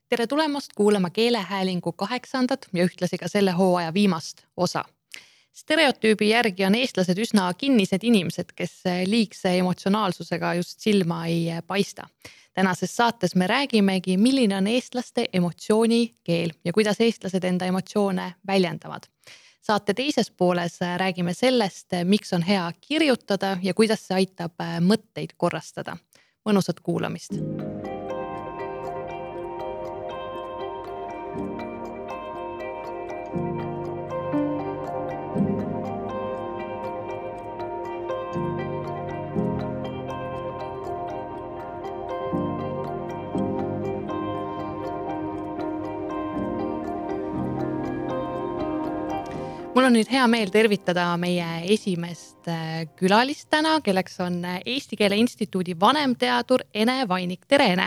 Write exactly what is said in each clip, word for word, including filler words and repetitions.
Tere tulemast kuulama keelehäälingu kaheksandat ja ühtlasi ka selle hooaja viimast osa. Stereotüübi järgi on eestlased üsna kinnised inimesed, kes liigse emotsionaalsusega just silma ei paista. Tänases saates me räägimegi, milline on eestlaste emotsioonikeel ja kuidas eestlased enda emotsioone väljendavad. Saate teises pooles räägime sellest, miks on hea kirjutada ja kuidas see aitab mõtteid korrastada. Mõnusat kuulamist! Mul on nüüd hea meel tervitada meie esimest külalist täna, kelleks on Eesti Keele Instituudi vanemteadur Ene Vainik. Tere, Ene!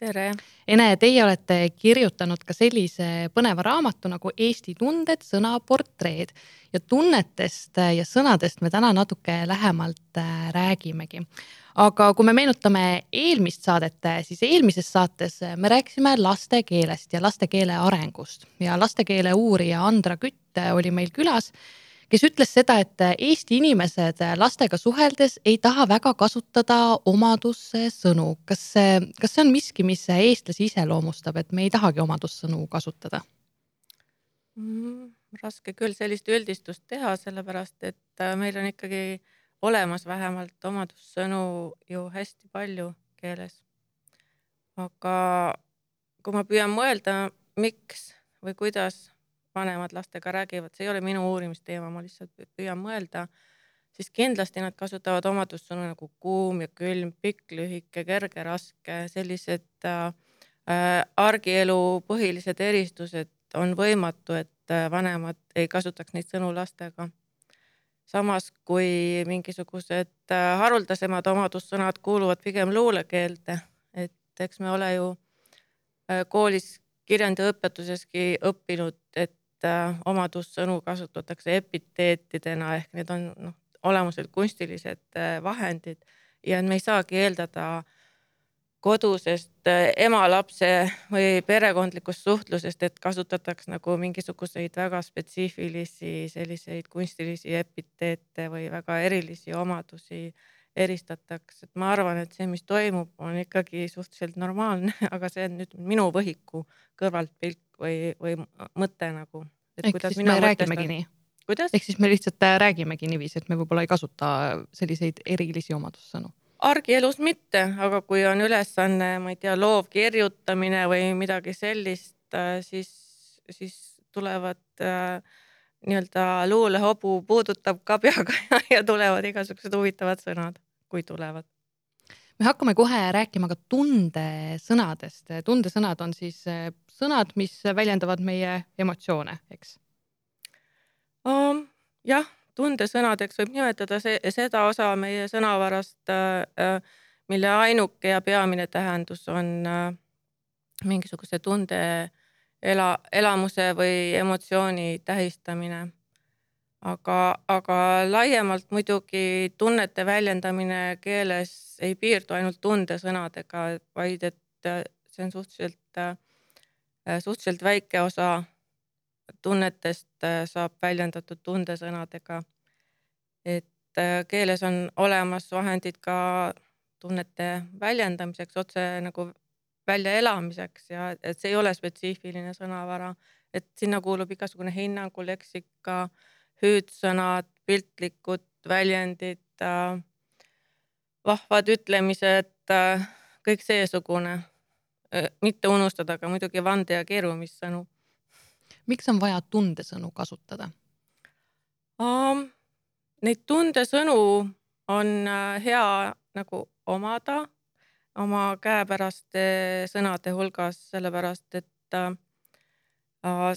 Tere! Ene, teie olete kirjutanud ka sellise põneva raamatu nagu Eesti tunded, sõnaportreed ja tunnetest ja sõnadest me täna natuke lähemalt räägimegi. Aga kui me meenutame eelmist saadet, siis eelmises saates me rääkisime lastekeelest ja lastekeele arengust ja lastekeele uurija Andra Kütt oli meil külas, kes ütles seda, et Eesti inimesed lastega suheldes ei taha väga kasutada omadussõnu. Kas, kas see on miski, mis eestlasi iseloomustab, et me ei tahagi omadussõnu kasutada? Mm, raske küll sellist üldistust teha, sellepärast, et meil on ikkagi olemas vähemalt omadussõnu ju hästi palju keeles. Aga kui ma püüan mõelda, miks või kuidas vanemad lastega räägivad, see ei ole minu uurimisteema, ma lihtsalt püüan mõelda, siis kindlasti nad kasutavad omadussõnu nagu kuum ja külm, pikk, lühike, kerge, raske, sellised äh, argielu põhilised eristused on võimatu, et vanemad ei kasutaks neid sõnu lastega. Samas kui mingisugused haruldasemad omadussõnad kuuluvad pigem luulekeelde, et eks me ole ju koolis kirjandiõpetuseski õppinud, et omadussõnu kasutatakse epiteetidena ehk need on noh, olemuselt kunstilised vahendid ja me ei saagi eeldada kodusest ema-lapse või perekondlikust suhtlusest, et kasutatakse nagu mingisuguseid väga spetsiifilisi selliseid kunstilisi epiteete või väga erilisi omadusi eristatakse. Et ma arvan, et see, mis toimub, on ikkagi suhteliselt normaalne, aga see on nüüd minu võhiku kõrvalt pilk või, või mõte nagu. Et Ehk siis me räägimegi nii. Kuidas? Ehk siis me lihtsalt räägimegi niiviisi, et me võib-olla ei kasuta selliseid erilisi omadussõnu. Argielus mitte, aga kui on ülesanne, ma ei tea, loov kirjutamine või midagi sellist, siis, siis tulevad äh, nii-öelda luulehobu puudutab ka peaga ja tulevad igasugused huvitavad sõnad, kui tulevad. Me hakkame kohe rääkima ka tundesõnadest. Tundesõnad on siis sõnad, mis väljendavad meie emotsioone, eks? Um, jah. Tundesõnadeks võib nimetada see, seda osa meie sõnavarast, mille ainuke ja peamine tähendus on mingisuguse tunde ela, elamuse või emotsiooni tähistamine. Aga, aga laiemalt muidugi tunnete väljendamine keeles ei piirdu ainult tundesõnadega, vaid et see on suhteliselt, suhteliselt väike osa tunnetest saab väljendatud tundesõnadega. Et keeles on olemas vahendid ka tunnete väljendamiseks, otse nagu välja elamiseks ja et see ei ole spetsiifiline sõnavara. Et sinna kuulub igasugune hinnangu, leksika, hüüdsõnad, piltlikud väljendid, vahvad ütlemised, kõik seesugune. Mitte unustada ka muidugi vande- ja keerumissõnu. Miks on vaja tundesõnu kasutada? Um, neid tundesõnu on hea nagu omada oma käepäraste sõnade hulgas, sellepärast et uh,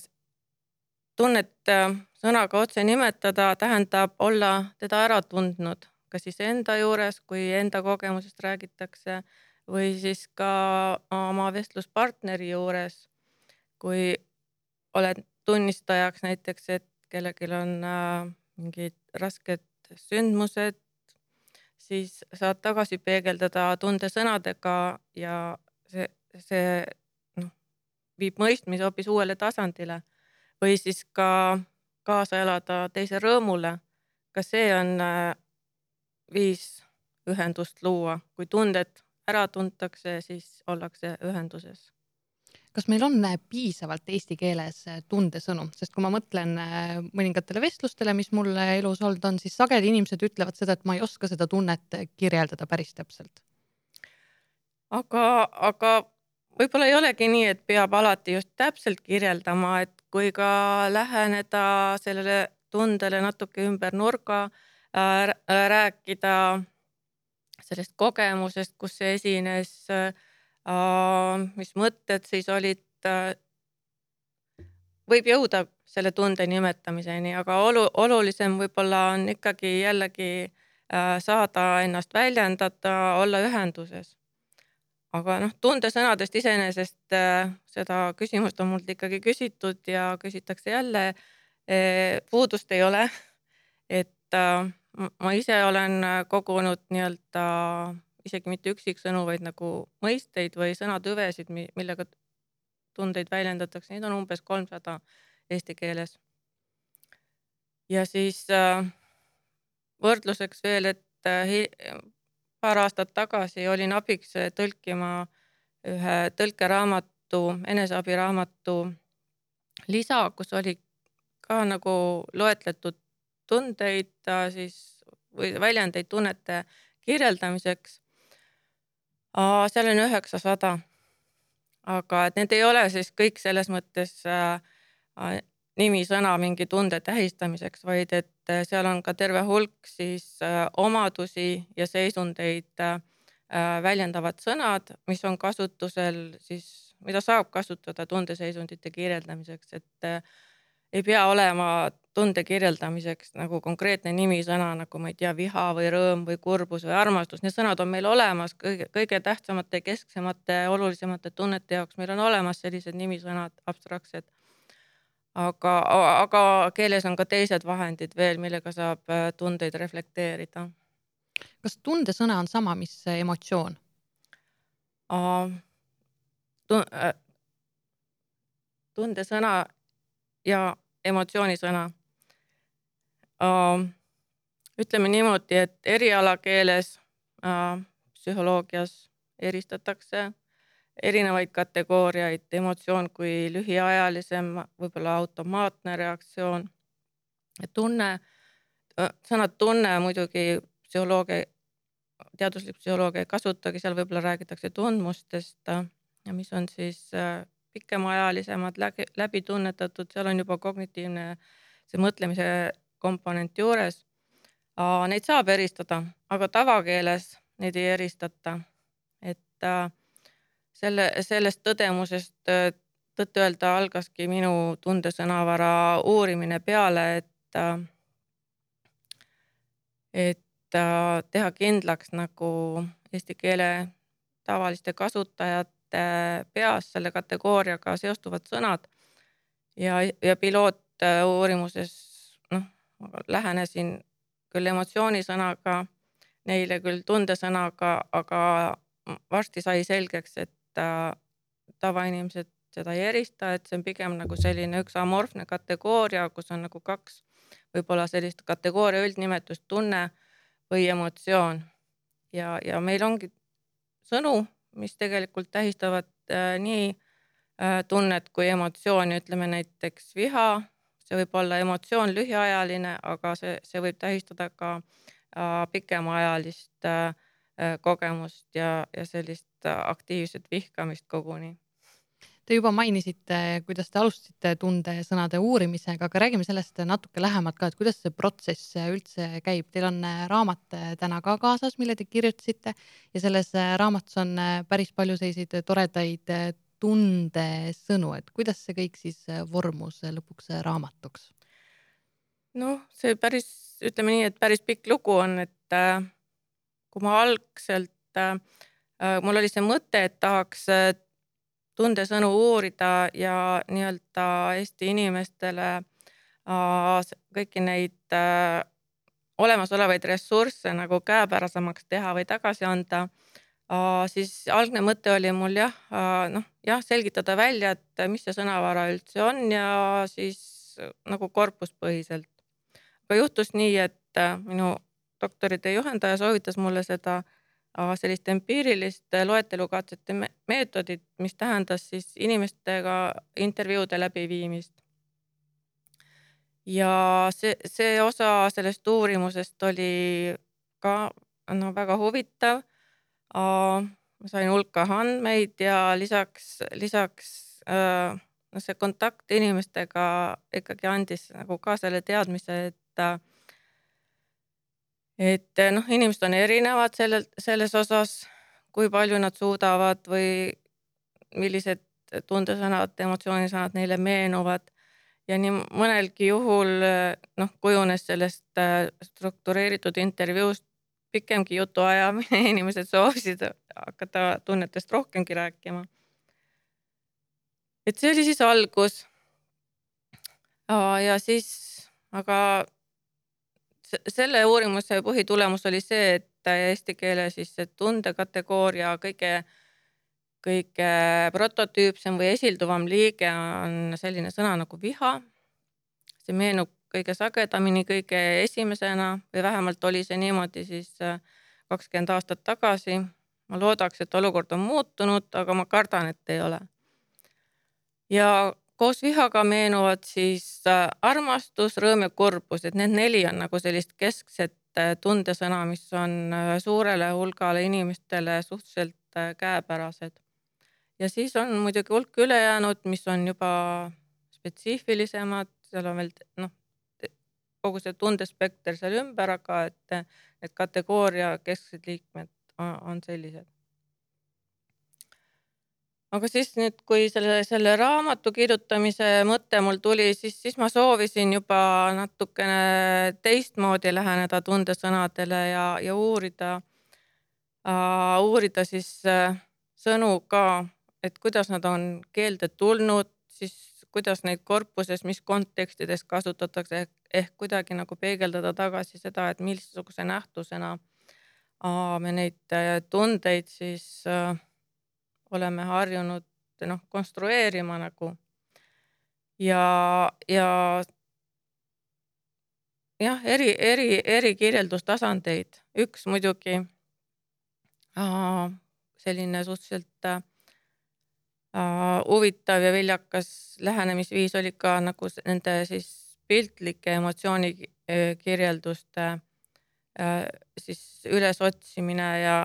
tunnet sõnaga otse nimetada tähendab olla teda ära tundnud, kas siis enda juures, kui enda kogemusest räägitakse või siis ka oma vestluspartneri juures, kui oled tunnistajaks näiteks, et kellelgi on äh, mingid rasked sündmused, siis saad tagasi peegeldada tundesõnadega ja see, see noh, viib mõistmise hoopis uuele tasandile või siis ka kaasa elada teise rõõmule. Ka see on viis ühendust luua. Kui tunded ära tuntakse, siis ollakse ühenduses. Kas meil on piisavalt eesti keeles tundesõnu? Sest kui ma mõtlen mõningatele vestlustele, mis mul elus olnud on, siis sageli inimesed ütlevad seda, et ma ei oska seda tunnet kirjeldada päris täpselt. Aga, aga võib-olla ei olegi nii, et peab alati just täpselt kirjeldama, et kui ka läheneda sellele tundele natuke ümber nurga, rääkida sellest kogemusest, kus see esines, mis mõtted siis olid, võib jõuda selle tunde nimetamiseni, aga olu, olulisem võib-olla on ikkagi jällegi saada ennast väljendada, olla ühenduses. Aga noh, tundesõnadest iseenesest seda küsimust on mult ikkagi küsitud ja küsitakse jälle, puudust ei ole, et ma ise olen kogunud nii-öelda isegi mitte üksiksõnu, vaid nagu mõisteid või sõnatüvesid, millega tundeid väljendatakse. Neid on umbes kolmsada eesti keeles. Ja siis võrdluseks veel, et paar aastat tagasi olin abiks tõlkima ühe tõlkeraamatu, eneseabiraamatu lisa, kus oli ka nagu loetletud tundeid siis, või väljendeid tunnete kirjeldamiseks. Seal on üheksasada. Aga et need ei ole siis kõik selles mõttes nimisõna mingi tunde tähistamiseks, vaid et seal on ka terve hulk siis omadusi ja seisundeid väljendavad sõnad, mis on kasutusel siis, mida saab kasutada tundeseisundite kirjeldamiseks, et ei pea olema tunde kirjeldamiseks nagu konkreetne nimisõna, nagu ma ei tea, viha või rõõm või kurbus või armastus. Need sõnad on meil olemas kõige, kõige tähtsamate, kesksemate, olulisemate tunnete jaoks. Meil on olemas sellised nimisõnad, abstraktsed. Aga, aga keeles on ka teised vahendid veel, millega saab tundeid reflekteerida. Kas tundesõna on sama, mis emotsioon? Tundesõna ja emotsioonisõna. Ütleme niimoodi, et erialakeeles psühholoogias eristatakse erinevaid kategooriaid, emotsioon kui lühiajalisem, võib-olla automaatne reaktsioon. Tunne, sõnad tunne muidugi psühholoogia, teaduslik psühholoogia ei kasutagi, seal võib-olla räägitakse tundmustest, mis on siis pikemaajalisemad, läbi tunnetatud, seal on juba kognitiivne see mõtlemise komponent juures. Neid saab eristada, aga tavakeeles neid ei eristata. Et selle, sellest tõdemusest tõtt öelda algaski minu tundesõnavara uurimine peale, et, et teha kindlaks nagu eesti keele tavaliste kasutajate peas selle kategooriaga seostuvad sõnad ja, ja piloot uurimuses noh, lähenesin küll emotsioonisõnaga, neile küll tundesõnaga, aga varsti sai selgeks, et tavainimesed seda ei erista, et see on pigem nagu selline üks amorfne kategooria, kus on nagu kaks võib-olla sellist kategooria üldnimetust, tunne või emotsioon. Ja, ja meil ongi sõnu, mis tegelikult tähistavad äh, nii äh, tunnet kui emotsiooni, ütleme näiteks viha, see võib olla emotsioon lühiajaline, aga see, see võib tähistada ka äh, pikemaajalist äh, kogemust ja, ja sellist aktiivset vihkamist koguni. Te juba mainisite, kuidas te alustasite tundesõnade uurimisega, aga räägime sellest natuke lähemalt ka, et kuidas see protsess üldse käib. Teil on raamat täna ka kaasas, mille te kirjutasite ja selles raamatus on päris palju selliseid toredaid tundesõnu, et kuidas see kõik siis vormus lõpuks raamatuks? No see päris, ütleme nii, et päris pikk lugu on, et kui ma algselt, mul oli see mõte, et tahaks tundesõnu uurida ja nii-öelda Eesti inimestele kõiki neid olemasolevaid ressursse nagu käepärasemaks teha või tagasi anda, siis algne mõte oli mul jah, noh, jah, selgitada välja, et mis see sõnavara üldse on ja siis nagu korpuspõhiselt. Aga juhtus nii, et minu doktoritöö juhendaja soovitas mulle seda sellist empiirilist loetelukatsete meetodit, mis tähendas siis inimestega intervjuude läbiviimist. Ja see, see osa sellest uurimusest oli ka no, väga huvitav. Ma sain hulka andmeid ja lisaks, lisaks no, see kontakt inimestega ikkagi andis nagu ka selle teadmise, et et noh, inimesed on erinevad sellel, selles osas, kui palju nad suudavad või millised tundesõnad, emotsioonisõnad neile meenuvad. Ja nii mõnelgi juhul noh, kujunes sellest struktureeritud intervjuust pikemgi jutuajamine, inimesed soovisid hakata tunnetest rohkemgi rääkima. Et see oli siis algus. Ja siis, aga selle uurimuse põhitulemus oli see, et eesti keele siis see tundekategooria kõige, kõige prototüüpsem või esilduvam liige on selline sõna nagu viha. See meenub kõige sagedamini, kõige esimesena või vähemalt oli see niimoodi siis kakskümmend aastat tagasi. Ma loodaks, et olukord on muutunud, aga ma kardan, et ei ole. Ja koos vihaga meenuvad siis armastus, rõõm ja kurbus, et need neli on nagu sellist keskset tundesõna, mis on suurele hulgale inimestele suhteliselt käepärased. Ja siis on muidugi hulk ülejäänud, mis on juba spetsiifilisemad, seal on veel noh, kogu see tundespekter seal ümber, aga et need kategooria kesksed liikmed on sellised. Aga siis nüüd, kui selle, selle raamatu kirjutamise mõte mul tuli, siis, siis ma soovisin juba natukene teistmoodi läheneda tundesõnadele ja, ja uurida, uh, uurida siis uh, sõnu ka, et kuidas nad on keelde tulnud, siis kuidas neid korpuses, mis kontekstides kasutatakse, ehk, ehk kuidagi nagu peegeldada tagasi seda, et missuguse nähtusena uh, me neid uh, tundeid siis uh, oleme harjunud noh, konstrueerima nagu. Ja, ja jah, eri, eri, eri kirjeldustasandeid. Üks muidugi äh, selline suhteliselt äh, huvitav ja viljakas lähenemisviis oli ka nagu nende siis piltlike emotsiooni kirjelduste äh, siis ülesotsimine ja,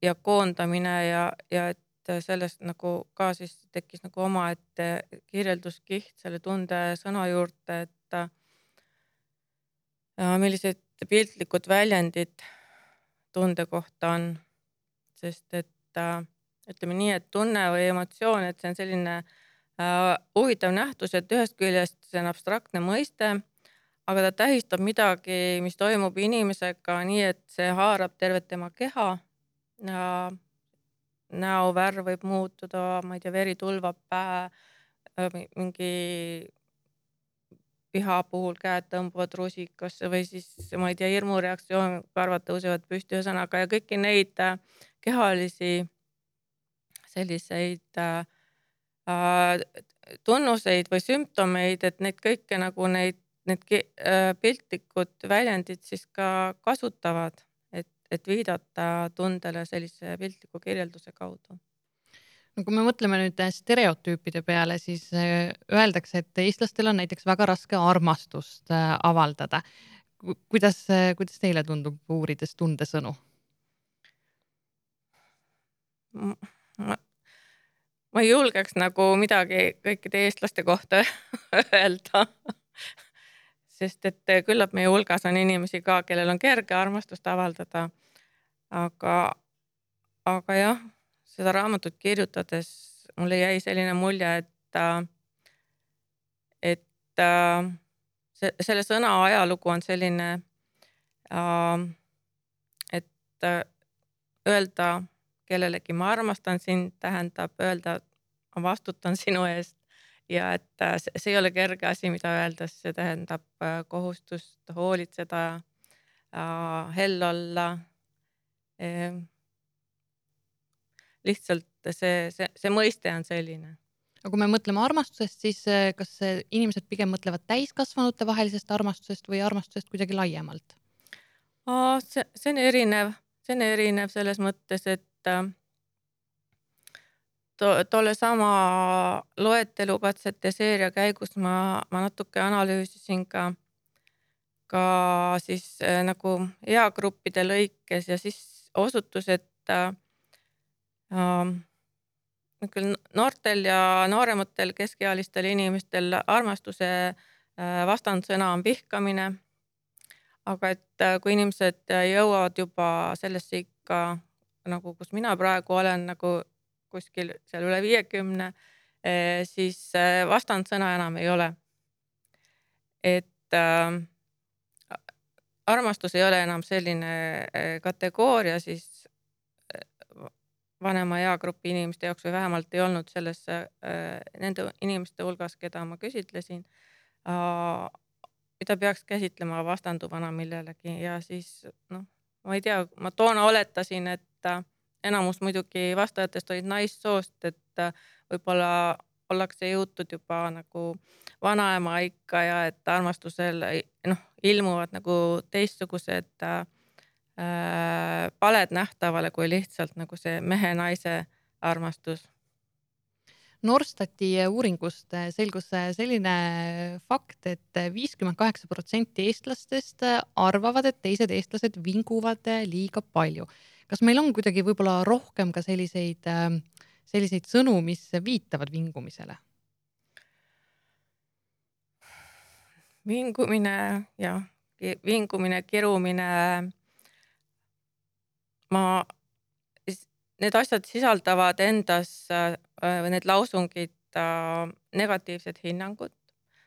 ja koondamine ja, ja et sellest nagu ka siis tekkis nagu omaette kirjelduskiht selle tunde sõna juurde, et äh, millised piltlikud väljendid tunde kohta on, sest et äh, ütleme nii, et tunne või emotsioon, et see on selline äh, huvitav nähtus, et ühest küljest see on abstraktne mõiste, aga ta tähistab midagi, mis toimub inimesega nii, et see haarab tervet tema keha ja näovärv võib muutuda, ma ei tea, veri tulvab pähe, mingi viha puhul käed tõmbuvad rusikasse või siis, ma ei tea, hirmureaktsioon, karvad tõusevad püsti ühesõnaga ja kõiki neid kehalisi selliseid äh, tunnuseid või sümptomeid, et neid kõike nagu neid, need piltlikud väljendid siis ka kasutavad. Et viidata tundele sellise piltliku kirjelduse kaudu. No kui me mõtleme nüüd stereotüüpide peale, siis öeldakse, et eestlastel on näiteks väga raske armastust avaldada. Kuidas, kuidas teile tundub uurides tundesõnu? Ma, ma ei julgeks nagu midagi kõikide eestlaste kohta öelda. Sest et küllap meie hulgas on inimesi ka, kellel on kerge armastust avaldada. Aga, aga jah, seda raamatut kirjutades mulle jäi selline mulje, et, et see, selle sõna ajalugu on selline, et öelda kellelegi ma armastan sind, tähendab öelda ma vastutan sinu eest ja et see ei ole kerge asi, mida öeldes, see tähendab kohustust hoolitseda, hell olla, lihtsalt see, see, see mõiste on selline. aga kui me mõtleme armastusest, siis kas inimesed pigem mõtlevad täiskasvanute vahelisest armastusest või armastusest kuidagi laiemalt? See, see on erinev, see on erinev selles mõttes, et to, tolle sama loetelukatsete seeria käigus ma, ma natuke analüüsisin ka, ka siis nagu eagruppide lõikes ja siis osutus, et äh, küll noortel ja noorematel keskealistel inimestel armastuse vastandsõna on vihkamine. Aga et kui inimesed jõuavad juba sellesse ikka, nagu kus mina praegu olen, nagu kuskil seal üle viiekümne, siis vastandsõna enam ei ole. Et äh, armastus ei ole enam selline kategooria siis vanema eagrupi inimeste jaoks või vähemalt ei olnud selles äh, nende inimeste hulgas, keda ma küsitlesin, äh, mida peaks käsitlema vastanduvana millelegi ja siis noh, ma ei tea, ma toona oletasin, et äh, enamus muidugi vastajatest olid naissoost, et äh, võib-olla ollakse jõutud juba nagu vanaema ikka ja et armastusel noh, ilmuvad nagu teistsugused äh, paled nähtavale kui lihtsalt nagu see mehe-naise armastus. Norstati uuringust selgus selline fakt, et viiskümmend kaheksa protsenti eestlastest arvavad, et teised eestlased vinguvad liiga palju. Kas meil on kuidagi võib-olla rohkem ka selliseid, selliseid sõnu, mis viitavad vingumisele? Vingumine, jah, vingumine, kirumine. Ma, need asjad sisaldavad endas, need lausungid, negatiivsed hinnangud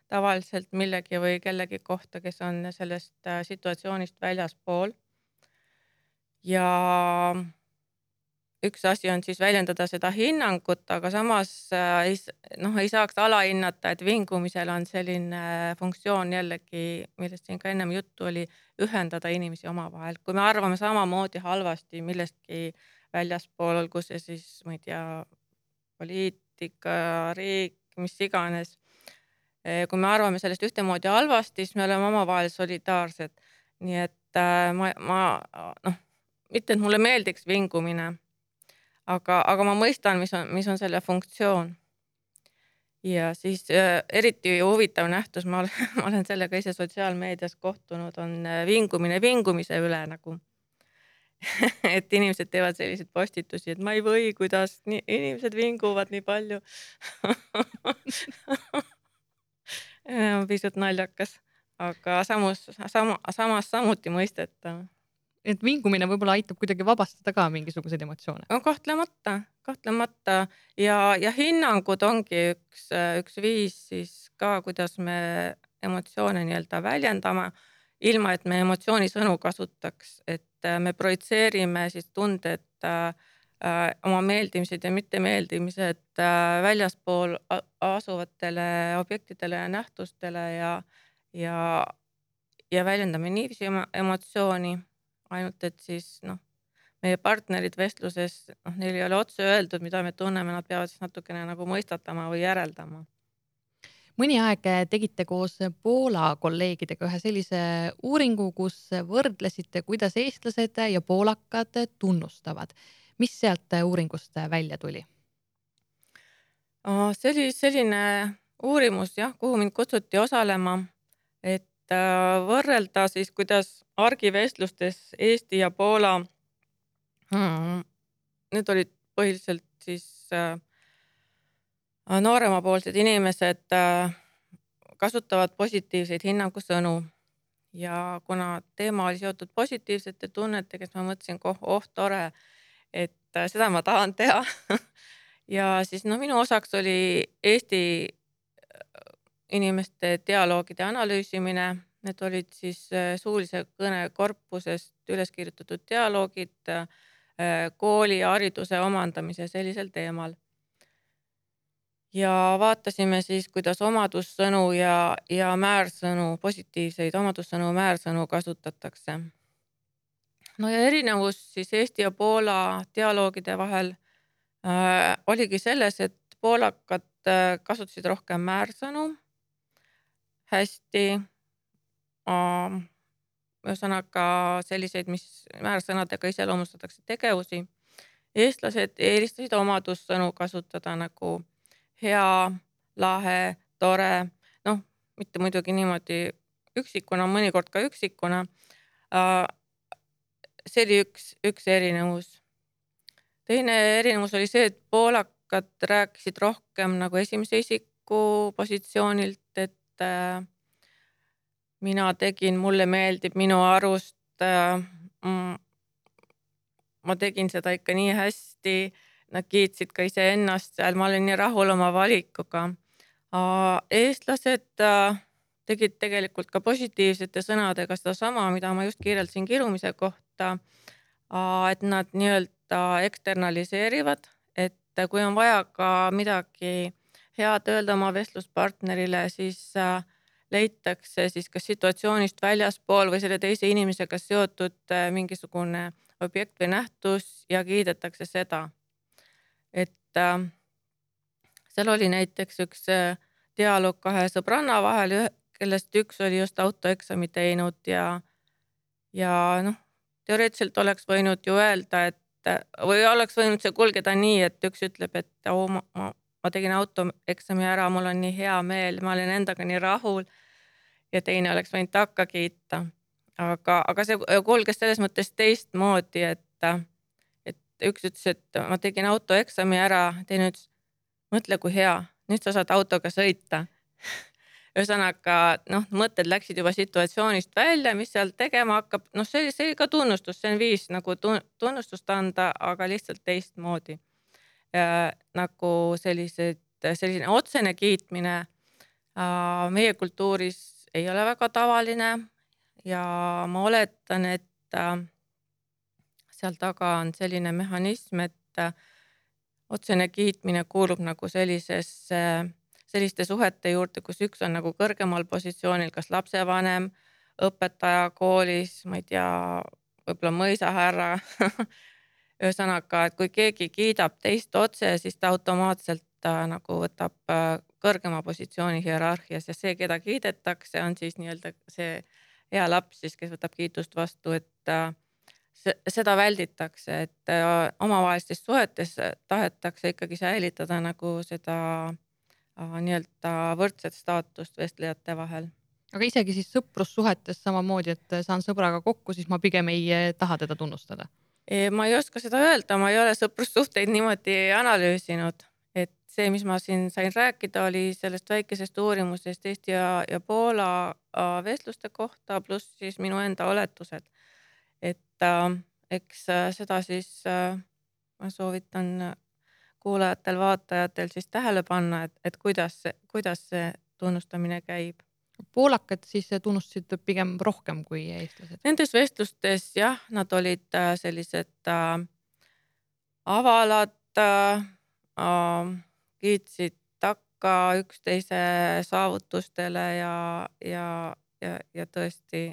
tavaliselt millegi või kellegi kohta, kes on sellest situatsioonist väljaspool. Ja üks asi on siis väljendada seda hinnangut, aga samas ei, noh, ei saaks alahinnata, et vingumisel on selline funktsioon jällegi, millest siin ka ennem juttu oli, ühendada inimesi omavahel. Kui me arvame samamoodi halvasti millestki väljaspool, olgu see siis, ma ei tea, poliitika, riik, mis iganes. Kui me arvame sellest ühtemoodi halvasti, siis me oleme omavahel solidaarsed. Nii et ma, ma noh, mitte, et mulle meeldiks vingumine, aga, aga ma mõistan, mis on, mis on selle funktsioon. Ja siis äh, eriti huvitav nähtus, ma olen, ma olen sellega ise sotsiaalmeedias kohtunud, on vingumine vingumise üle nagu. Et inimesed teevad selliseid postitusi, et ma ei või, kuidas nii, inimesed vinguvad nii palju. Pisut naljakas, aga samus, sama, samas samuti mõistetav. Et vingumine võib-olla aitab kuidagi vabastada ka mingisuguseid emotsioone? No, kahtlemata, kahtlemata ja, ja hinnangud ongi üks, üks viis siis ka, kuidas me emotsioone nii-öelda väljendame, ilma et me emotsioonisõnu kasutaks, et me projitseerime siis tunded äh, oma meeldimised ja mittemeeldimised äh, väljaspool asuvatele objektidele ja nähtustele ja, ja, ja väljendame niiviisi emotsiooni, ainult et siis noh, meie partnerid vestluses, noh, neil ei ole otse öeldud, mida me tunneme, nad peavad siis natukene nagu mõistatama või järeldama. Mõni aeg tegite koos Poola kolleegidega ühe sellise uuringu, kus võrdlesite, kuidas eestlased ja poolakad tunnustavad. Mis sealt uuringust välja tuli? See oli selline uurimus, jah, kuhu mind kutsuti osalema, et võrrelda siis, kuidas argivestlustes Eesti ja Poola, need olid põhiliselt siis nooremapoolsed inimesed kasutavad positiivseid hinnangusõnu ja kuna teema oli seotud positiivsete tunnetega, siis ma mõtlesin, oh, oh tore, et seda ma tahan teha. Ja siis no, minu osaks oli Eesti inimeste dialoogide analüüsimine. Need olid siis suulise kõne korpusest üles kirjutatud dialoogid kooli ja hariduse omandamise sellisel teemal. Ja vaatasime siis, kuidas omadussõnu ja, ja määrsõnu, positiivseid omadussõnu, määrsõnu kasutatakse. No ja erinevus siis Eesti ja Poola dialoogide vahel äh, oligi selles, et poolakad äh, kasutasid rohkem määrsõnu hästi äh, ühesõnaga selliseid, mis määrsõnadega iseloomustatakse tegevusi. Eestlased eelistasid omadussõnu kasutada nagu hea, lahe, tore, noh, mitte muidugi niimoodi üksikuna, mõnikord ka üksikuna. See oli üks, üks erinevus. Teine erinevus oli see, et poolakad rääkisid rohkem nagu esimese isiku positsioonilt, et äh, mina tegin, mulle meeldib, minu arust äh, ma tegin seda ikka nii hästi, nad kiitsid ka iseennast seal, ma olin nii rahul oma valikuga. Eestlased äh, tegid tegelikult ka positiivsete sõnadega seda sama, mida ma just kirjeldasin kirumise kohta, et nad nii-öelda eksternaliseerivad, et kui on vaja ka midagi head öelda oma vestluspartnerile, siis äh, leitakse siis kas situatsioonist väljaspool või selle teise inimesega seotud äh, mingisugune objekt või nähtus ja kiidetakse seda. Et äh, seal oli näiteks üks äh, dialoog kahe sõbranna vahel, kellest üks oli just autoeksami teinud ja, ja noh, teoreetiliselt oleks võinud ju öelda, et või oleks võinud see kulgeda nii, et üks ütleb, et oh, ma, ma, ma tegin autoeksami ära, mul on nii hea meel, ma olen endaga nii rahul ja teine oleks võinud takka kiita. Aga, aga see kulges selles mõttes teistmoodi, et, et üks ütles, et ma tegin autoeksami ära, teine ütles, mõtle kui hea, nüüd sa saad autoga sõita. Ühesõnaga, noh, mõtted läksid juba situatsioonist välja, mis seal tegema hakkab. Noh, see, see oli ka tunnustus, see on viis nagu tunnustust anda, aga lihtsalt teistmoodi. Ja, nagu sellised, selline otsene kiitmine äh, meie kultuuris ei ole väga tavaline ja ma oletan, et äh, seal taga on selline mehhanism, et äh, otsene kiitmine kuulub nagu sellisesse äh, selliste suhete juurde, kus üks on nagu kõrgemal positsioonil, kas lapsevanem, õpetaja koolis, ma ei tea, võib-olla mõisahärra. Ühesõnaga, et kui keegi kiidab teist otse, siis ta automaatselt ta nagu võtab kõrgema positsiooni hierarhias ja see, keda kiidetakse, on siis nii-öelda see hea laps, siis, kes võtab kiitust vastu, et seda välditakse, et omavahelistes suhetes tahetakse ikkagi säilitada nagu seda nii-öelda võrdset staatust vestlejate vahel. Aga isegi siis sõprussuhetes samamoodi, et saan sõbraga kokku, siis ma pigem ei taha teda tunnustada. Ma ei oska seda öelda, ma ei ole sõprussuhteid niimoodi analüüsinud, et see, mis ma siin sain rääkida, oli sellest väikesest uurimusest Eesti ja, ja Poola vestluste kohta, pluss siis minu enda oletused. Et äh, eks seda siis äh, ma soovitan kuulajatel, vaatajatel siis tähele panna, et, et kuidas, kuidas see tunnustamine käib. Poolakad siis tunnustasid pigem rohkem kui eestlased? Nendes vestlustes jah, nad olid sellised äh, avalad, äh, kiitsid takka üksteise saavutustele ja, ja, ja, ja tõesti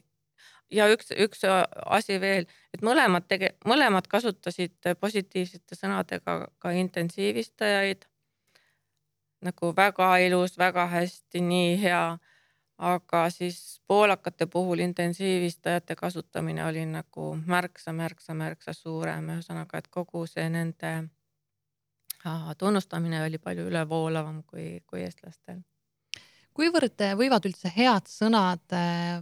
ja üks, üks asi veel, et mõlemad, tege, mõlemad kasutasid positiivsete sõnadega ka intensiivistajaid. Nagu väga ilus, väga hästi, nii hea. Aga siis poolakate puhul intensiivistajate kasutamine oli nagu märksa, märksa, märksa suurem. Ühesõnaga, et kogu see nende tunnustamine oli palju ülevoolavam kui, kui eestlastel. Kuivõrd võivad üldse head sõnad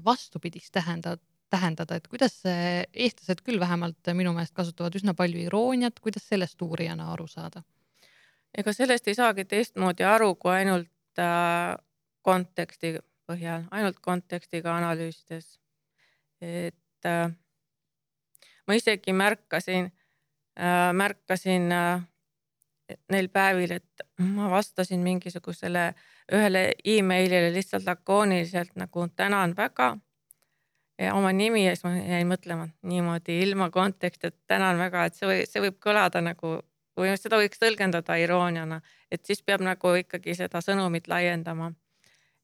vastupidist tähendada? tähendada, et kuidas eestlased küll vähemalt minu meelest kasutavad üsna palju irooniat, kuidas sellest uurijana aru saada? Ega sellest ei saagi teistmoodi aru, kui ainult äh, konteksti põhjal, ainult kontekstiga analüüsides. Et äh, ma isegi märkasin, äh, märkasin äh, neil päevil, et ma vastasin mingisugusele ühele e-mailile lihtsalt lakooniliselt nagu tänan väga. Ja oma nimi ja siis ma jäin mõtlema niimoodi ilma konteksti, et tänan väga, et see, või, see võib kõlada nagu, või seda võiks tõlgendada irooniana, et siis peab nagu ikkagi seda sõnumit laiendama.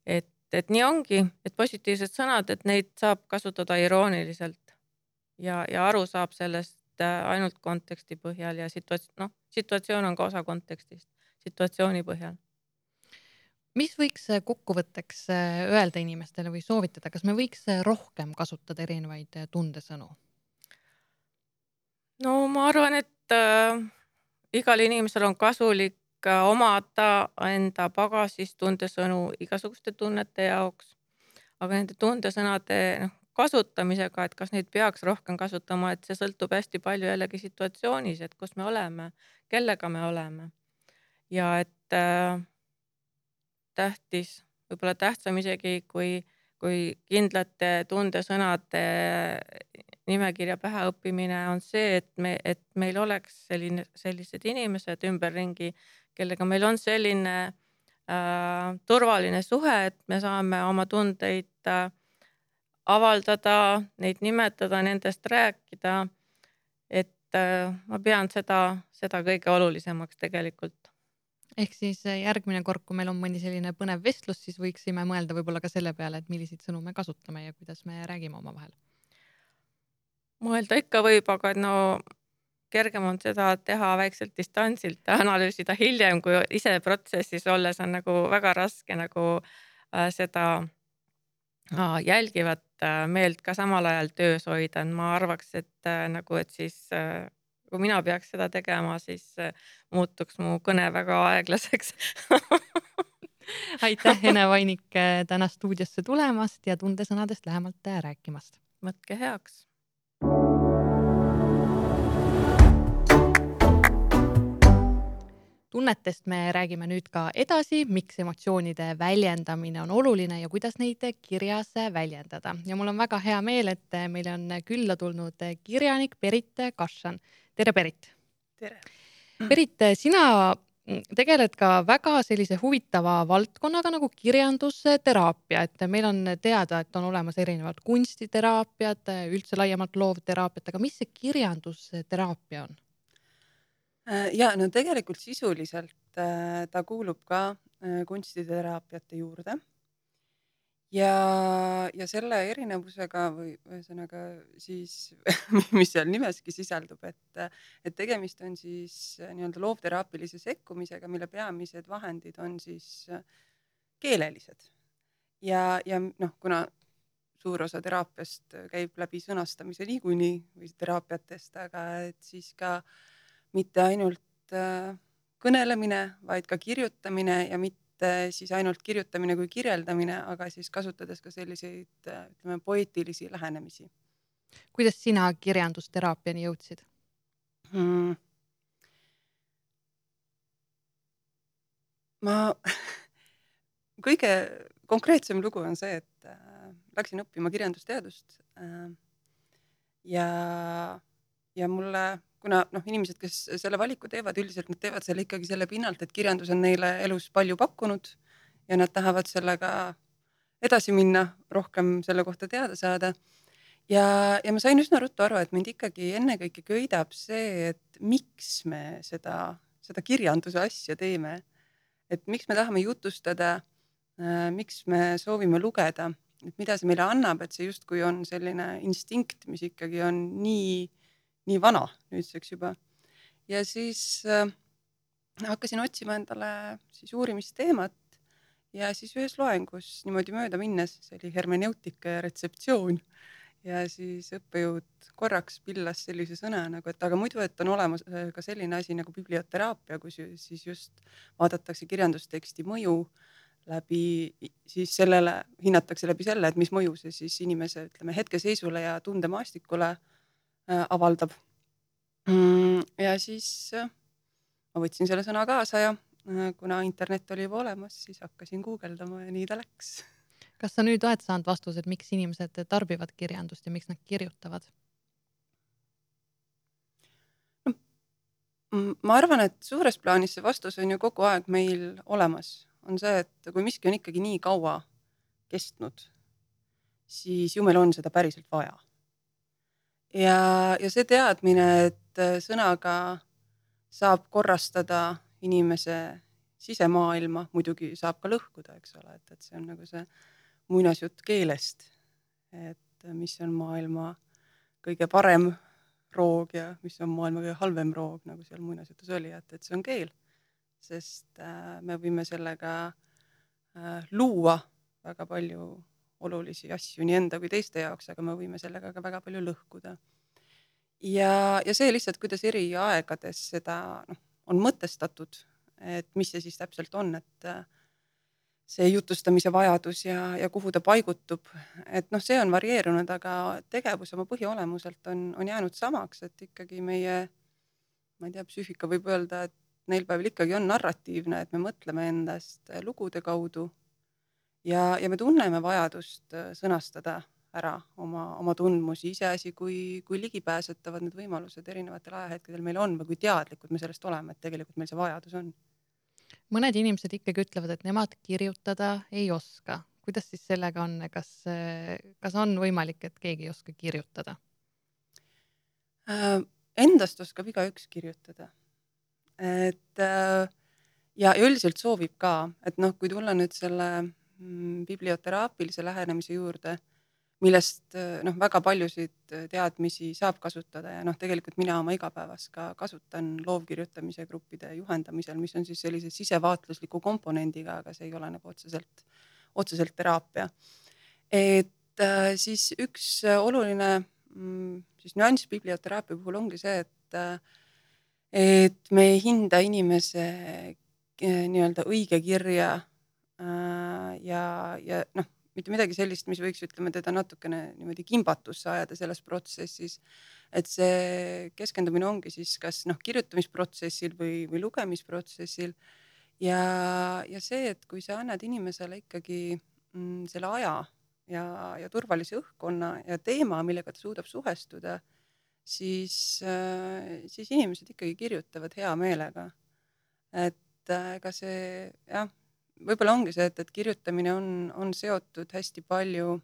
Et, et nii ongi, et positiivsed sõnad, et neid saab kasutada irooniliselt ja, ja aru saab sellest ainult konteksti põhjal ja situatsioon, noh, situatsioon on ka osa kontekstist, situatsiooni põhjal. Mis võiks kokkuvõtteks öelda inimestele või soovitada, kas me võiks rohkem kasutada erinevaid tundesõnu? No ma arvan, et äh, igal inimesel on kasulik omada enda pagasis tundesõnu igasuguste tunnete jaoks, aga nende tundesõnade noh, kasutamisega, et kas neid peaks rohkem kasutama, et see sõltub hästi palju jällegi situatsioonis, et kus me oleme, kellega me oleme. Ja et äh, tähtis, võib-olla tähtsam isegi kui, kui kindlate tundesõnade nimekirja päheõppimine on see, et, me, et meil oleks selline, sellised inimesed ümberringi, kellega meil on selline äh, turvaline suhe, et me saame oma tundeid äh, avaldada, neid nimetada, nendest rääkida. Et äh, ma pean seda, seda kõige olulisemaks tegelikult. Ehk siis järgmine kord, kui meil on mõni selline põnev vestlus, siis võiksime mõelda võib-olla ka selle peale, et milliseid sõnu me kasutame ja kuidas me räägime oma vahel. Mõelda ikka võib, aga no kergem on seda teha väikselt distantsilt ja analüüsida hiljem, kui ise protsessis olles on nagu väga raske nagu äh, seda äh, jälgivat äh, meelt ka samal ajal töös hoida. Ma arvaks, et äh, nagu, et siis äh, kui mina peaks seda tegema, siis äh, muutuks mu kõne väga aeglaseks. Aitäh, Ene Vainik, täna stuudiosse tulemast ja tundesõnadest lähemalt rääkimast. Võtke heaks. Tunnetest me räägime nüüd ka edasi, miks emotsioonide väljendamine on oluline ja kuidas neid kirjas väljendada. Ja mul on väga hea meel, et meil on külla tulnud kirjanik Berit Kašan. Tere, Berit! Tere! Berit, sina tegeled ka väga sellise huvitava valdkonnaga nagu kirjandusteraapia, et meil on teada, et on olemas erinevad kunstiteraapiad, üldse laiemalt loovteraapiat, aga mis see kirjandusteraapia on? Ja no tegelikult sisuliselt ta kuulub ka kunstiteraapiate juurde ja, ja selle erinevusega või ühesõnaga siis, mis seal nimeski sisaldub, et, et tegemist on siis nii-öelda loovteraapilise sekkumisega, mille peamised vahendid on siis keelelised. Ja, ja noh, kuna suur osa teraapiast käib läbi sõnastamise niikuinii või teraapiatest, aga et siis ka mitte ainult kõnelemine, vaid ka kirjutamine ja mitte siis ainult kirjutamine kui kirjeldamine, aga siis kasutades ka selliseid, ütleme, poeetilisi lähenemisi. Kuidas sina kirjandusteraapiani jõudsid? Hmm. Ma kõige konkreetsem lugu on see, et läksin õppima kirjandusteadust ja, ja mulle kuna noh, inimesed, kes selle valiku teevad, üldiselt nad teevad selle ikkagi selle pinnalt, et kirjandus on neile elus palju pakkunud ja nad tahavad sellega edasi minna, rohkem selle kohta teada saada. Ja, ja ma sain üsna ruttu aru, et mind ikkagi ennekõike köidab see, et miks me seda, seda kirjanduse asja teeme. Et miks me tahame jutustada, miks me soovime lugeda, et mida see meile annab, et see justkui on selline instinkt, mis ikkagi on nii nii vana nüüdseks juba. Ja siis äh, hakkasin otsima endale siis uurimisteemat ja siis ühes loengus niimoodi mööda minnes, see oli hermeneutika ja retseptsioon ja siis õppejõud korraks pillas sellise sõna nagu, et aga muidu, et on olemas ka selline asi nagu biblioteraapia, kus siis just vaadatakse kirjandusteksti mõju läbi, siis sellele hinnatakse läbi selle, et mis mõju see siis inimese, ütleme, hetkeseisule ja tundemaastikule avaldab. Ja siis ma võtsin selle sõna kaasa ja kuna internet oli juba olemas, siis hakkasin guugeldama ja nii ta läks. Kas sa nüüd oled saanud vastused, miks inimesed tarbivad kirjandust ja miks nad kirjutavad? Ma arvan, et suures plaanis see vastus on ju kogu aeg meil olemas. On see, et kui miski on ikkagi nii kaua kestnud, siis ju meil on seda päriselt vaja. Ja, ja see teadmine, et sõnaga saab korrastada inimese sisemaailma, muidugi saab ka lõhkuda, eks ole, et, et see on nagu see muinasjutt keelest, et mis on maailma kõige parem roog ja mis on maailma kõige halvem roog, nagu seal muinasjutus oli, et, et see on keel. Sest äh, me võime sellega äh, luua väga palju olulisi asju nii enda kui teiste jaoks, aga me võime sellega ka väga palju lõhkuda. Ja, ja see lihtsalt, kuidas eri aegades seda noh, on mõtestatud, et mis see siis täpselt on, et äh, see jutustamise vajadus ja, ja kuhu ta paigutub, et noh, see on varieerunud, aga tegevus oma põhiolemuselt on, on jäänud samaks, et ikkagi meie, ma ei tea, psüühika võib öelda, et neil päeval ikkagi on narratiivne, et me mõtleme endast lugude kaudu ja, ja me tunneme vajadust sõnastada ära oma, oma tundmusi, iseasi, kui, kui ligipääsetavad need võimalused erinevatel ajahetkedel meil on või kui teadlikud me sellest oleme, et tegelikult meil see vajadus on. Mõned inimesed ikkagi ütlevad, et nemad kirjutada ei oska. Kuidas siis sellega on? Kas, kas on võimalik, et keegi ei oska kirjutada? Äh, endast oskab igaüks kirjutada. Et äh, ja üldiselt soovib ka, et noh, kui tulla nüüd selle mm, biblioteraapilise lähenemise juurde, millest noh, väga paljusid teadmisi saab kasutada ja noh, tegelikult mina oma igapäevas ka kasutan loovkirjutamise gruppide juhendamisel, mis on siis sellise sisevaatlusliku komponendiga, aga see ei ole nagu otseselt, otseselt teraapia. Et äh, siis üks oluline mm, siis nüanss biblioteraapia puhul ongi see, et, et me ei hinda inimese nii-öelda õige kirja äh, ja, ja noh, mitte midagi sellist, mis võiks, ütleme, teda natukene niimoodi kimbatusse ajada selles protsessis, et see keskendumine ongi siis kas noh, kirjutamisprotsessil või, või lugemisprotsessil ja, ja see, et kui sa annad inimesele ikkagi mm, selle aja ja, ja turvalise õhkkonna ja teema, millega ta suudab suhestuda, siis, äh, siis inimesed ikkagi kirjutavad hea meelega. Et ega äh, see, jah, võib-olla ongi see, et, et kirjutamine on, on seotud hästi palju,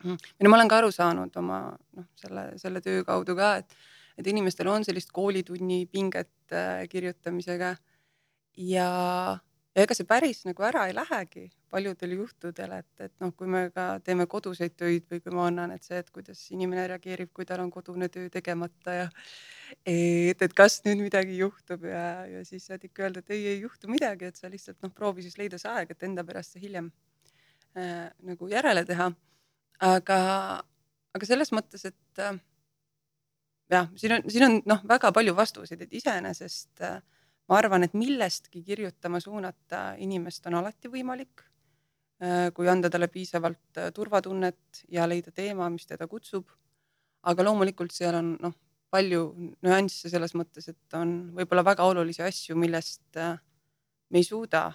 ja ma olen ka aru saanud oma noh, selle, selle töö kaudu ka, et, et inimestel on sellist koolitunni pinget äh, kirjutamisega ja, ja ega see päris nagu ära ei lähegi paljudel juhtudel, et, et noh, kui me ka teeme koduseid töid või kui ma annan, et see, et kuidas inimene reageerib, kui tal on kodune töö tegemata ja et, et kas nüüd midagi juhtub ja, ja siis saad ikka öelda, et ei, ei juhtu midagi, et sa lihtsalt noh, proovi siis leida see aeg, et enda pärast see hiljem äh, nagu järele teha. Aga, aga selles mõttes, et äh, jah, siin on, siin on noh, väga palju vastuseid, et iseenesest äh, ma arvan, et millestki kirjutama suunata inimest on alati võimalik, äh, kui anda talle piisavalt äh, turvatunnet ja leida teema, mis teda kutsub. Aga loomulikult seal on noh, palju nüansse selles mõttes, et on võib-olla väga olulisi asju, millest äh, me ei suuda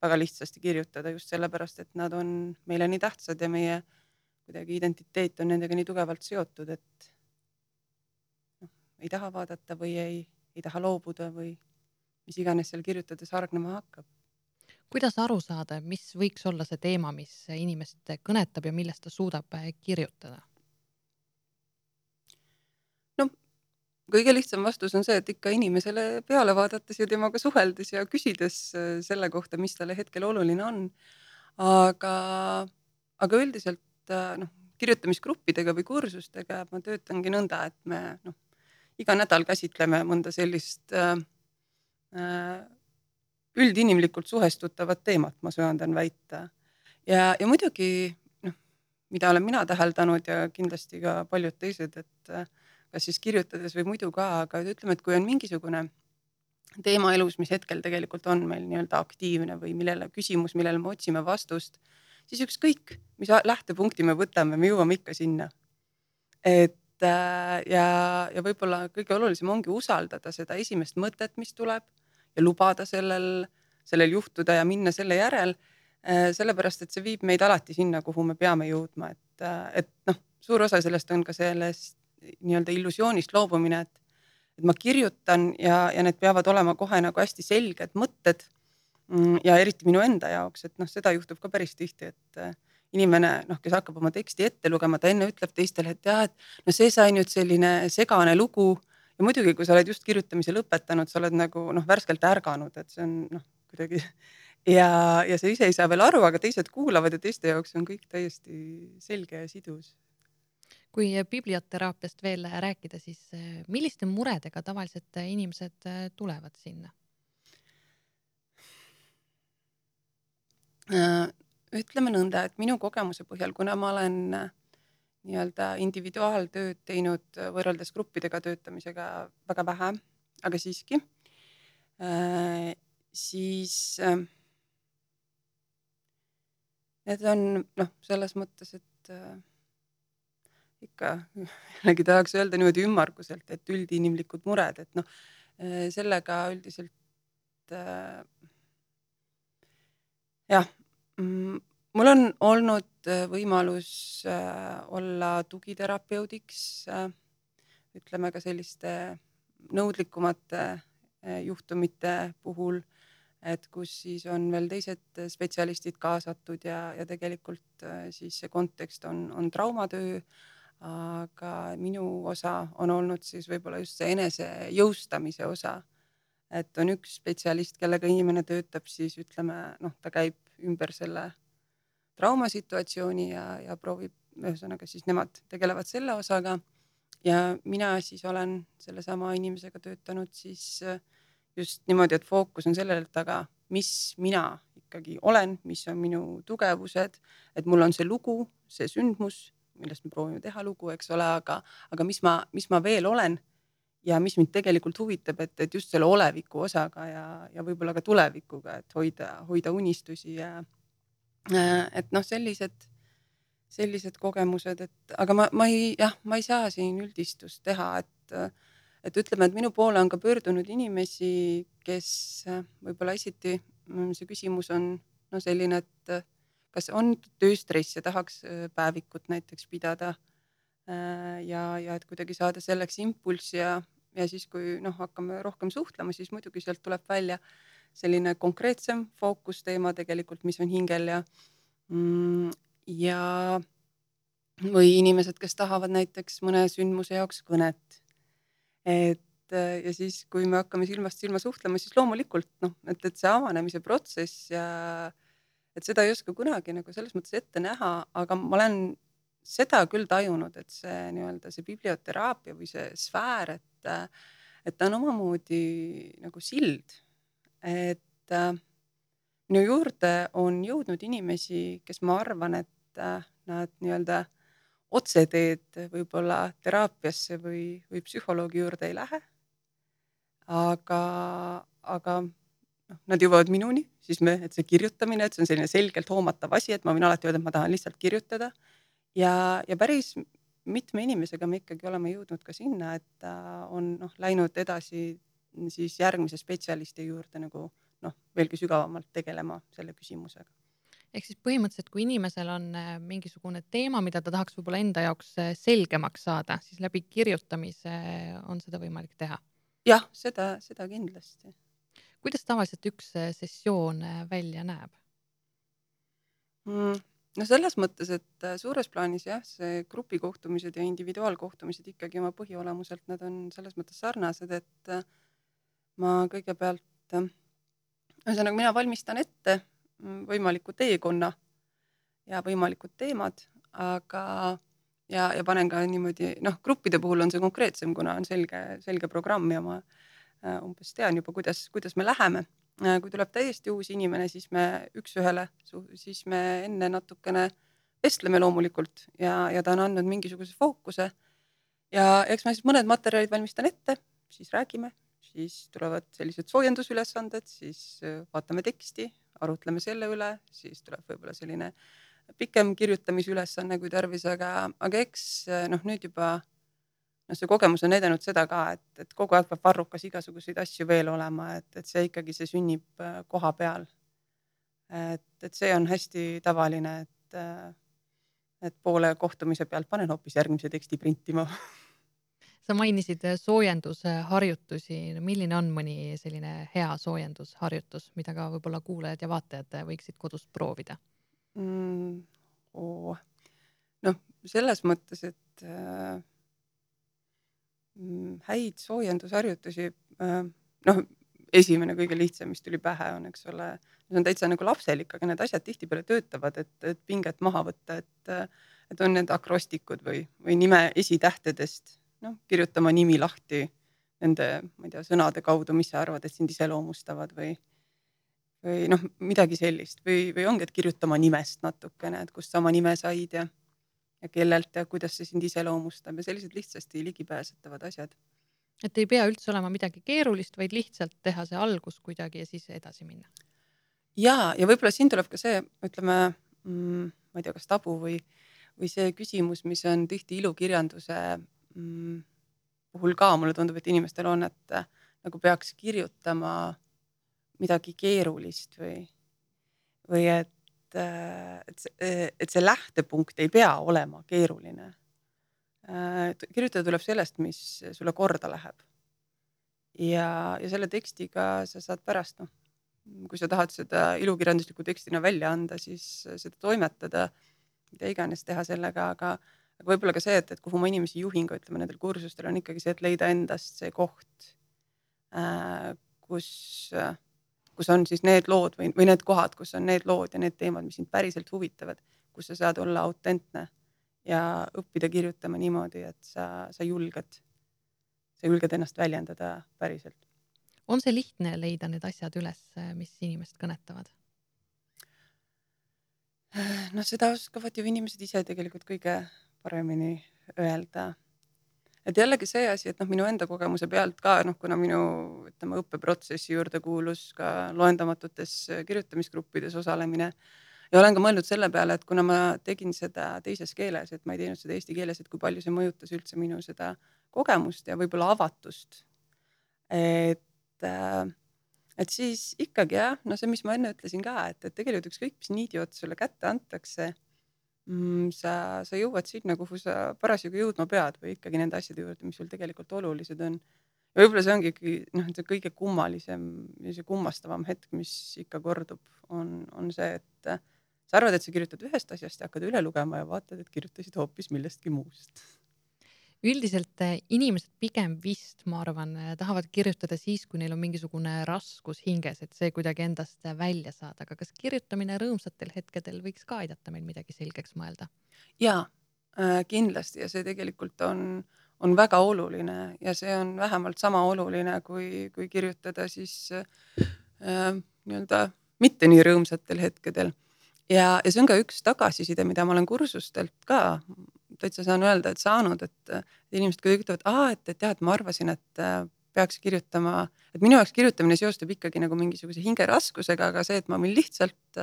väga lihtsasti kirjutada just sellepärast, et nad on meile nii tähtsad ja meie kuidagi identiteet on nendega nii tugevalt seotud, et noh, ei taha vaadata või ei, ei taha loobuda või mis iganes seal kirjutades hargnema hakkab. Kuidas aru saada, mis võiks olla see teema, mis inimest kõnetab ja millest ta suudab kirjutada? No, kõige lihtsam vastus on see, et ikka inimesele peale vaadates ja temaga suheldes ja küsides selle kohta, mis talle hetkel oluline on. Aga, aga üldiselt noh, kirjutamisgruppidega või kursustega ma töötangi nõnda, et me noh, iga nädal käsitleme mõnda sellist äh, üldinimlikult suhestutavat teemat, ma söandan väita. Ja, ja muidugi, noh, mida olen mina täheldanud ja kindlasti ka paljud teised, et kas siis kirjutades või muidu ka, aga ütleme, et kui on mingisugune teema elus, mis hetkel tegelikult on meil nii-öelda aktiivne või millele küsimus, millele me otsime vastust, siis ükskõik, mis lähtepunkti me võtame, me jõuame ikka sinna. Et ja, ja võib-olla kõige olulisem ongi usaldada seda esimest mõtet, mis tuleb ja lubada sellel, sellel juhtuda ja minna selle järel, sellepärast, et see viib meid alati sinna, kuhu me peame jõudma. Et, et noh, suur osa sellest on ka sellest nii-öelda illusioonist loobumine, et, et ma kirjutan ja, ja need peavad olema kohe nagu hästi selged mõtted ja eriti minu enda jaoks, et noh, seda juhtub ka päris tihti, et inimene, noh, kes hakkab oma teksti ette lugema, ta enne ütleb teistele, et jah, et no see sai nüüd selline segane lugu ja muidugi, kui sa oled just kirjutamise lõpetanud, sa oled nagu noh, värskelt ärganud, et see on noh, kuidagi ja, ja sa ise ei saa veel aru, aga teised kuulavad ja teiste jaoks on kõik täiesti selge ja sidus. Kui biblioteraapiast veel rääkida, siis milliste muredega tavaliselt inimesed tulevad sinna? Ütleme nõnda, et minu kogemuse põhjal, kuna ma olen nii-öelda individuaaltööd teinud võrreldes gruppidega töötamisega väga vähe, aga siiski, siis need on noh, selles mõttes, et ikka jällegi tahaks öelda niimoodi ümmarguselt, et üldinimlikud mured, et noh, sellega üldiselt jah, mul on olnud võimalus olla tugiterapeudiks, ütleme ka selliste nõudlikumate juhtumite puhul, et kus siis on veel teised spetsialistid kaasatud ja, ja tegelikult siis see kontekst on, on traumatöö, aga minu osa on olnud siis võib-olla just see enese jõustamise osa, et on üks spetsialist, kellega inimene töötab, siis ütleme, noh, ta käib ümber selle traumasituatsiooni ja, ja proovib, ühesõnaga siis nemad tegelevad selle osaga ja mina siis olen selle sama inimesega töötanud siis just niimoodi, et fookus on sellele, et aga mis mina ikkagi olen, mis on minu tugevused, et mul on see lugu, see sündmus, millest me proovime teha lugu, eks ole, aga, aga mis ma, mis ma veel olen ja mis mind tegelikult huvitab, et, et just selle oleviku osaga ja, ja võib-olla ka tulevikuga, et hoida, hoida unistusi ja et noh, sellised, sellised kogemused, et aga ma, ma ei, jah, ma ei saa siin üldistust teha, et, et ütleme, et minu poole on ka pöördunud inimesi, kes võib-olla esiti, see küsimus on no selline, et kas on tööstress ja tahaks päevikut näiteks pidada ja, ja et kuidagi saada selleks impulssi ja, ja siis, kui noh, hakkame rohkem suhtlema, siis muidugi sealt tuleb välja selline konkreetsem fookusteema tegelikult, mis on hingel ja, ja või inimesed, kes tahavad näiteks mõne sündmuse jaoks kõnet. Et ja siis, kui me hakkame silmast silma suhtlema, siis loomulikult noh, et, et see avanemise protsess ja et seda ei oska kunagi nagu selles mõttes ette näha, aga ma olen seda küll tajunud, et see nii-öelda see biblioteraapia või see sfäär, et, et ta on omamoodi nagu sild, et minu juurde on jõudnud inimesi, kes ma arvan, et nad nii-öelda otseteed võib-olla teraapiasse või, või psühholoogi juurde ei lähe, aga, aga noh, nad jõuavad minuni, siis me, et see kirjutamine, et see on selline selgelt hoomatav asi, et ma võin alati öelda, et ma tahan lihtsalt kirjutada ja, ja päris mitme inimesega me ikkagi oleme jõudnud ka sinna, et ta on noh, läinud edasi siis järgmise spetsialisti juurde nagu noh, veelgi sügavamalt tegelema selle küsimusega. Ehk siis põhimõtteliselt, kui inimesel on mingisugune teema, mida ta tahaks võib-olla enda jaoks selgemaks saada, siis läbi kirjutamise on seda võimalik teha? Jah, seda, seda kindlasti. Kuidas tavaliselt üks sessioon välja näeb? No selles mõttes, et suures plaanis jah, see grupikohtumised ja individuaalkohtumised ikkagi oma põhiolemuselt, nad on selles mõttes sarnased, et ma kõigepealt, ühesõnaga mina valmistan ette võimaliku teekonna ja võimalikud teemad, aga ja, ja panen ka niimoodi, noh, gruppide puhul on see konkreetsem, kuna on selge, selge programm ja ma umbes tean juba, kuidas, kuidas me läheme. Kui tuleb täiesti uus inimene, siis me üks ühele, siis me enne natukene vestleme loomulikult ja, ja ta on andnud mingisuguse fookuse ja eks ma siis mõned materjalid valmistan ette, siis räägime, siis tulevad sellised soojendusülesanded, siis vaatame teksti, arutleme selle üle, siis tuleb võib-olla selline pikem kirjutamisülesanne kui tarvis, aga, aga eks noh, nüüd juba no see kogemus on näidanud seda ka, et, et kogu aeg peab varrukas igasuguseid asju veel olema, et, et see ikkagi see sünnib koha peal. Et, et see on hästi tavaline, et, et poole kohtumise pealt panen hoopis järgmise teksti printima. Sa mainisid soojendusharjutusi. Milline on mõni selline hea soojendusharjutus, mida ka võib-olla kuulajad ja vaatajad võiksid kodus proovida? Mm, oh. Noh, selles mõttes, et häid soojendusharjutusi, noh, esimene kõige lihtsam, mis tuli pähe on, eks ole, see on täitsa nagu lapselik, aga need asjad tihtipeale töötavad, et, et pinget maha võtta, et, et on need akrostikud või, või nime esitähtedest, noh, kirjutama nimi lahti nende, ma ei tea, sõnade kaudu, mis sa arvad, et sind iseloomustavad või, või noh, midagi sellist või, või ongi, et kirjutama nimest natukene, et kust sa oma nime said ja, ja kellelt ja kuidas see sind iseloomustab ja sellised lihtsasti ligipääsetavad asjad. Et ei pea üldse olema midagi keerulist, vaid lihtsalt teha see algus kuidagi ja siis edasi minna. Ja, ja võib-olla siin tuleb ka see, ütleme, mm, ma ei tea, kas tabu või, või see küsimus, mis on tihti ilukirjanduse mm, puhul ka, mulle tundub, et inimestel on, et äh, nagu peaks kirjutama midagi keerulist või, või et, äh, et, see, et see lähtepunkt ei pea olema keeruline. Äh, kirjutada tuleb sellest, mis sulle korda läheb. Ja, ja selle tekstiga sa saad pärast, noh, kui sa tahad seda ilukirjandusliku tekstina välja anda, siis seda toimetada, mida iganes teha sellega, aga, aga võib-olla ka see, et, et kuhu ma inimesi juhin, ka ütleme nendel kursustel on ikkagi see, et leida endast see koht, kus, kus on siis need lood või, või need kohad, kus on need lood ja need teemad, mis sind päriselt huvitavad, kus sa saad olla autentne ja õppida kirjutama niimoodi, et sa, sa julged, sa julged ennast väljendada päriselt. On see lihtne leida need asjad üles, mis inimest kõnetavad? No seda oskavad ju inimesed ise tegelikult kõige paremini öelda. Et jällegi see asi, et noh, minu enda kogemuse pealt ka, noh, kuna minu ütleme, õppeprotsessi juurde kuulus ka loendamatutes kirjutamisgruppides osalemine ja olen ka mõelnud selle peale, et kuna ma tegin seda teises keeles, et ma ei teinud seda eesti keeles, et kui palju see mõjutas üldse minu seda kogemust ja võib-olla avatust. Et et siis ikkagi jah, no see, mis ma enne ütlesin ka, et, et tegelikult ükskõik, mis niidiot sulle kätte antakse, mm, sa, sa jõuad sinna, kuhu sa parasjagu jõudma pead või ikkagi nende asjade juurde, mis sul tegelikult olulised on. Ja võib-olla see ongi ikkagi, noh, see kõige kummalisem ja see kummastavam hetk, mis ikka kordub, on, on see, et sa arvad, et sa kirjutad ühest asjast ja hakkad üle lugema ja vaatad, et kirjutasid hoopis millestki muust. Üldiselt inimesed pigem vist, ma arvan, tahavad kirjutada siis, kui neil on mingisugune raskus hinges, et see kuidagi endast välja saada. Aga kas kirjutamine rõõmsatel hetkedel võiks ka aidata meil midagi selgeks mõelda? Jaa, kindlasti ja see tegelikult on, on väga oluline ja see on vähemalt sama oluline, kui, kui kirjutada siis äh, nii-öelda mitte nii rõõmsatel hetkedel. Ja, ja see on ka üks tagasiside, mida ma olen kursustelt ka täitsa saan öelda, et saanud, et inimesed kui ütlevad, aa, et, et jah, et ma arvasin, et peaks kirjutama, et minu jaoks kirjutamine seostub ikkagi nagu mingisuguse hingeraskusega, aga see, et ma võin lihtsalt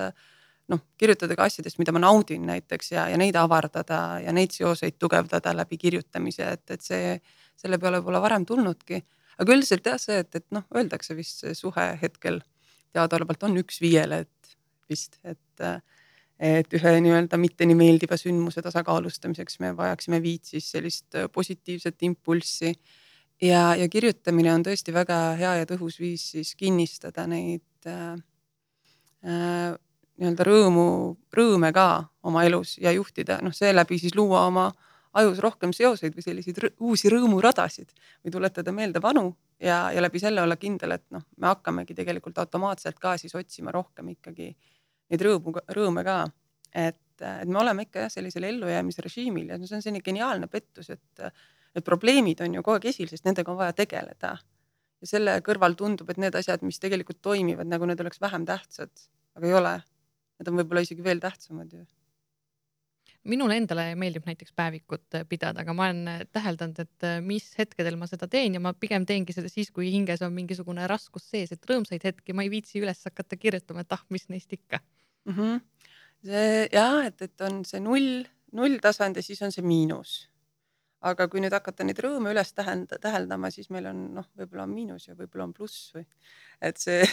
noh, kirjutada ka asjadest, mida ma naudin näiteks ja, ja neid avardada ja neid seoseid tugevdada läbi kirjutamise, et, et see, selle peale pole varem tulnudki. Aga üldiselt jah, see, et, et noh, öeldakse vist see suhe hetkel teadaolevalt on üks viiele, et vist, et et ühe nii-öelda mitte nii meeldiva sündmuse tasakaalustamiseks me vajaksime viit siis sellist positiivset impulssi ja, ja kirjutamine on tõesti väga hea ja tõhus viis siis kinnistada neid äh, äh, nii-öelda rõõmu, rõõme ka oma elus ja juhtida, noh seeläbi siis luua oma ajus rohkem seoseid või selliseid rõ- uusi rõõmuradasid või tuletada meelde vanu ja, ja läbi selle olla kindel, et noh, me hakkamegi tegelikult automaatselt ka siis otsima rohkem ikkagi neid rõõmu, rõõme ka, et, et me oleme ikka jah, sellisel ellujäämisrežiimil ja see on selline geniaalne pettus, et, et probleemid on ju kogu aeg esil, sest nendega on vaja tegeleda. Ja selle kõrval tundub, et need asjad, mis tegelikult toimivad, nagu need oleks vähem tähtsad, aga ei ole. Need on võib-olla isegi veel tähtsamad ju. Minule endale meeldib näiteks päevikut pidada, aga ma olen täheldanud, et mis hetkedel ma seda teen ja ma pigem teengi seda siis, kui hinges on mingisugune raskus sees, et rõõmsaid hetki ma ei viitsi üles hakata kirjutama, et ah, mis neist ikka. Mm -hmm. See, jah, et, et on see null, null tasand ja siis on see miinus. Aga kui nüüd hakata neid rõõme üles tähenda, täheldama, siis meil on noh, võib-olla on miinus ja võib-olla on pluss või. Et see,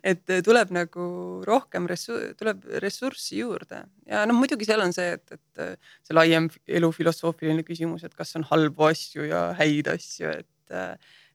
et tuleb nagu rohkem ressu-, tuleb ressurssi juurde ja noh, muidugi seal on see, et, et see laiem elufilosoofiline küsimus, et kas on halbu asju ja häid asju, et,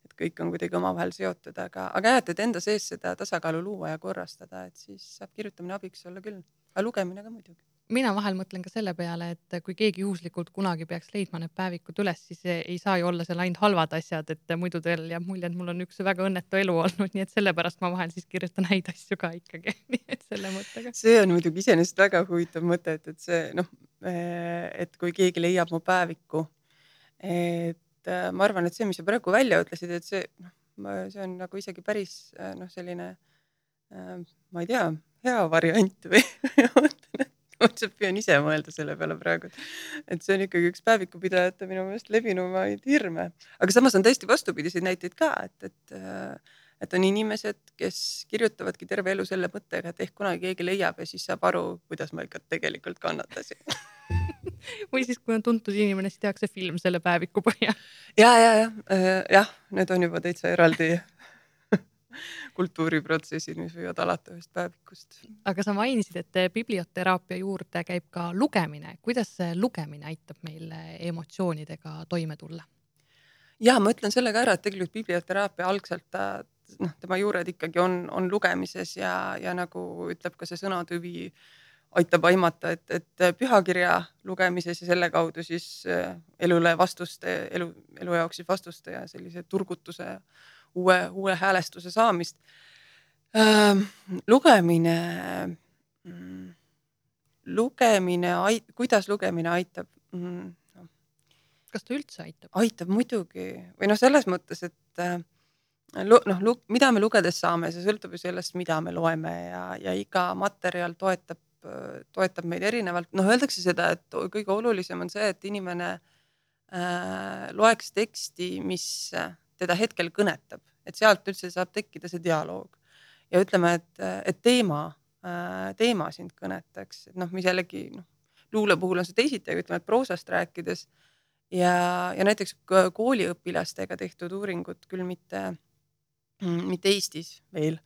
et kõik on kuidagi omavahel seotud, aga, aga jah, et enda sees seda tasakaalu luua ja korrastada, et siis saab kirjutamine abiks olla küll, aga lugemine ka muidugi. mina vahel mõtlen ka selle peale, et kui keegi juhuslikult kunagi peaks leidma need päevikud üles, siis ei saa ju olla seal ainult halvad asjad, et muidu teil jääb mulje, et mul on üks väga õnnetu elu olnud, nii et sellepärast ma vahel siis kirjutan häid asju ka ikkagi, nii et selle mõttega. See on muidugi iseenesest väga huvitav mõte, et, et see, noh, et kui keegi leiab mu päeviku, et ma arvan, et see, mis sa praegu välja ütlesid, et see, noh, see on nagu isegi päris, noh, selline, ma ei tea, hea variant või ma püüan ise mõelda selle peale praegu, et see on ikkagi üks päevikupidajate minu meelest levinumaid hirme. Aga samas on tõesti vastupidiseid näiteid ka, et, et, et on inimesed, kes kirjutavadki terve elu selle mõttega, et ehk kunagi keegi leiab ja siis saab aru, kuidas ma ikka tegelikult kannatasin. Või siis, kui on tuntud inimene, siis tehakse film selle päeviku põhjal. Ja, ja, ja, jah, need on juba täitsa eraldi kultuuriprotsessid, mis võivad alata ühest päevikust. Aga sa mainisid, et biblioteraapia juurde käib ka lugemine. Kuidas see lugemine aitab meil emotsioonidega toime tulla? Ja ma ütlen sellega ära, et tegelikult biblioteraapia algselt, noh, tema juured ikkagi on, on lugemises ja, ja nagu ütleb ka see sõnatüvi, aitab aimata, et, et pühakirja lugemises ja selle kaudu siis elule vastuste, elu, elu jaoks siis vastuste ja sellise turgutuse ja uue, uue häälestuse saamist. Äh, lugemine, lugemine, kuidas lugemine aitab? No. Kas ta üldse aitab? Aitab muidugi. Või noh, selles mõttes, et noh, mida me lugedes saame, see sõltub ju sellest, mida me loeme ja, ja iga materjal toetab, toetab meid erinevalt. Noh, öeldakse seda, et kõige olulisem on see, et inimene äh, loeks teksti, mis teda hetkel kõnetab, et sealt üldse saab tekkida see dialoog. Ja ütleme, et, et teema, teema sind kõnetaks, et noh, mis jällegi, noh, luule puhul on see teisiti, aga ütleme, et proosast rääkides ja, ja näiteks kooliõpilastega tehtud uuringud, küll mitte, mitte Eestis veel,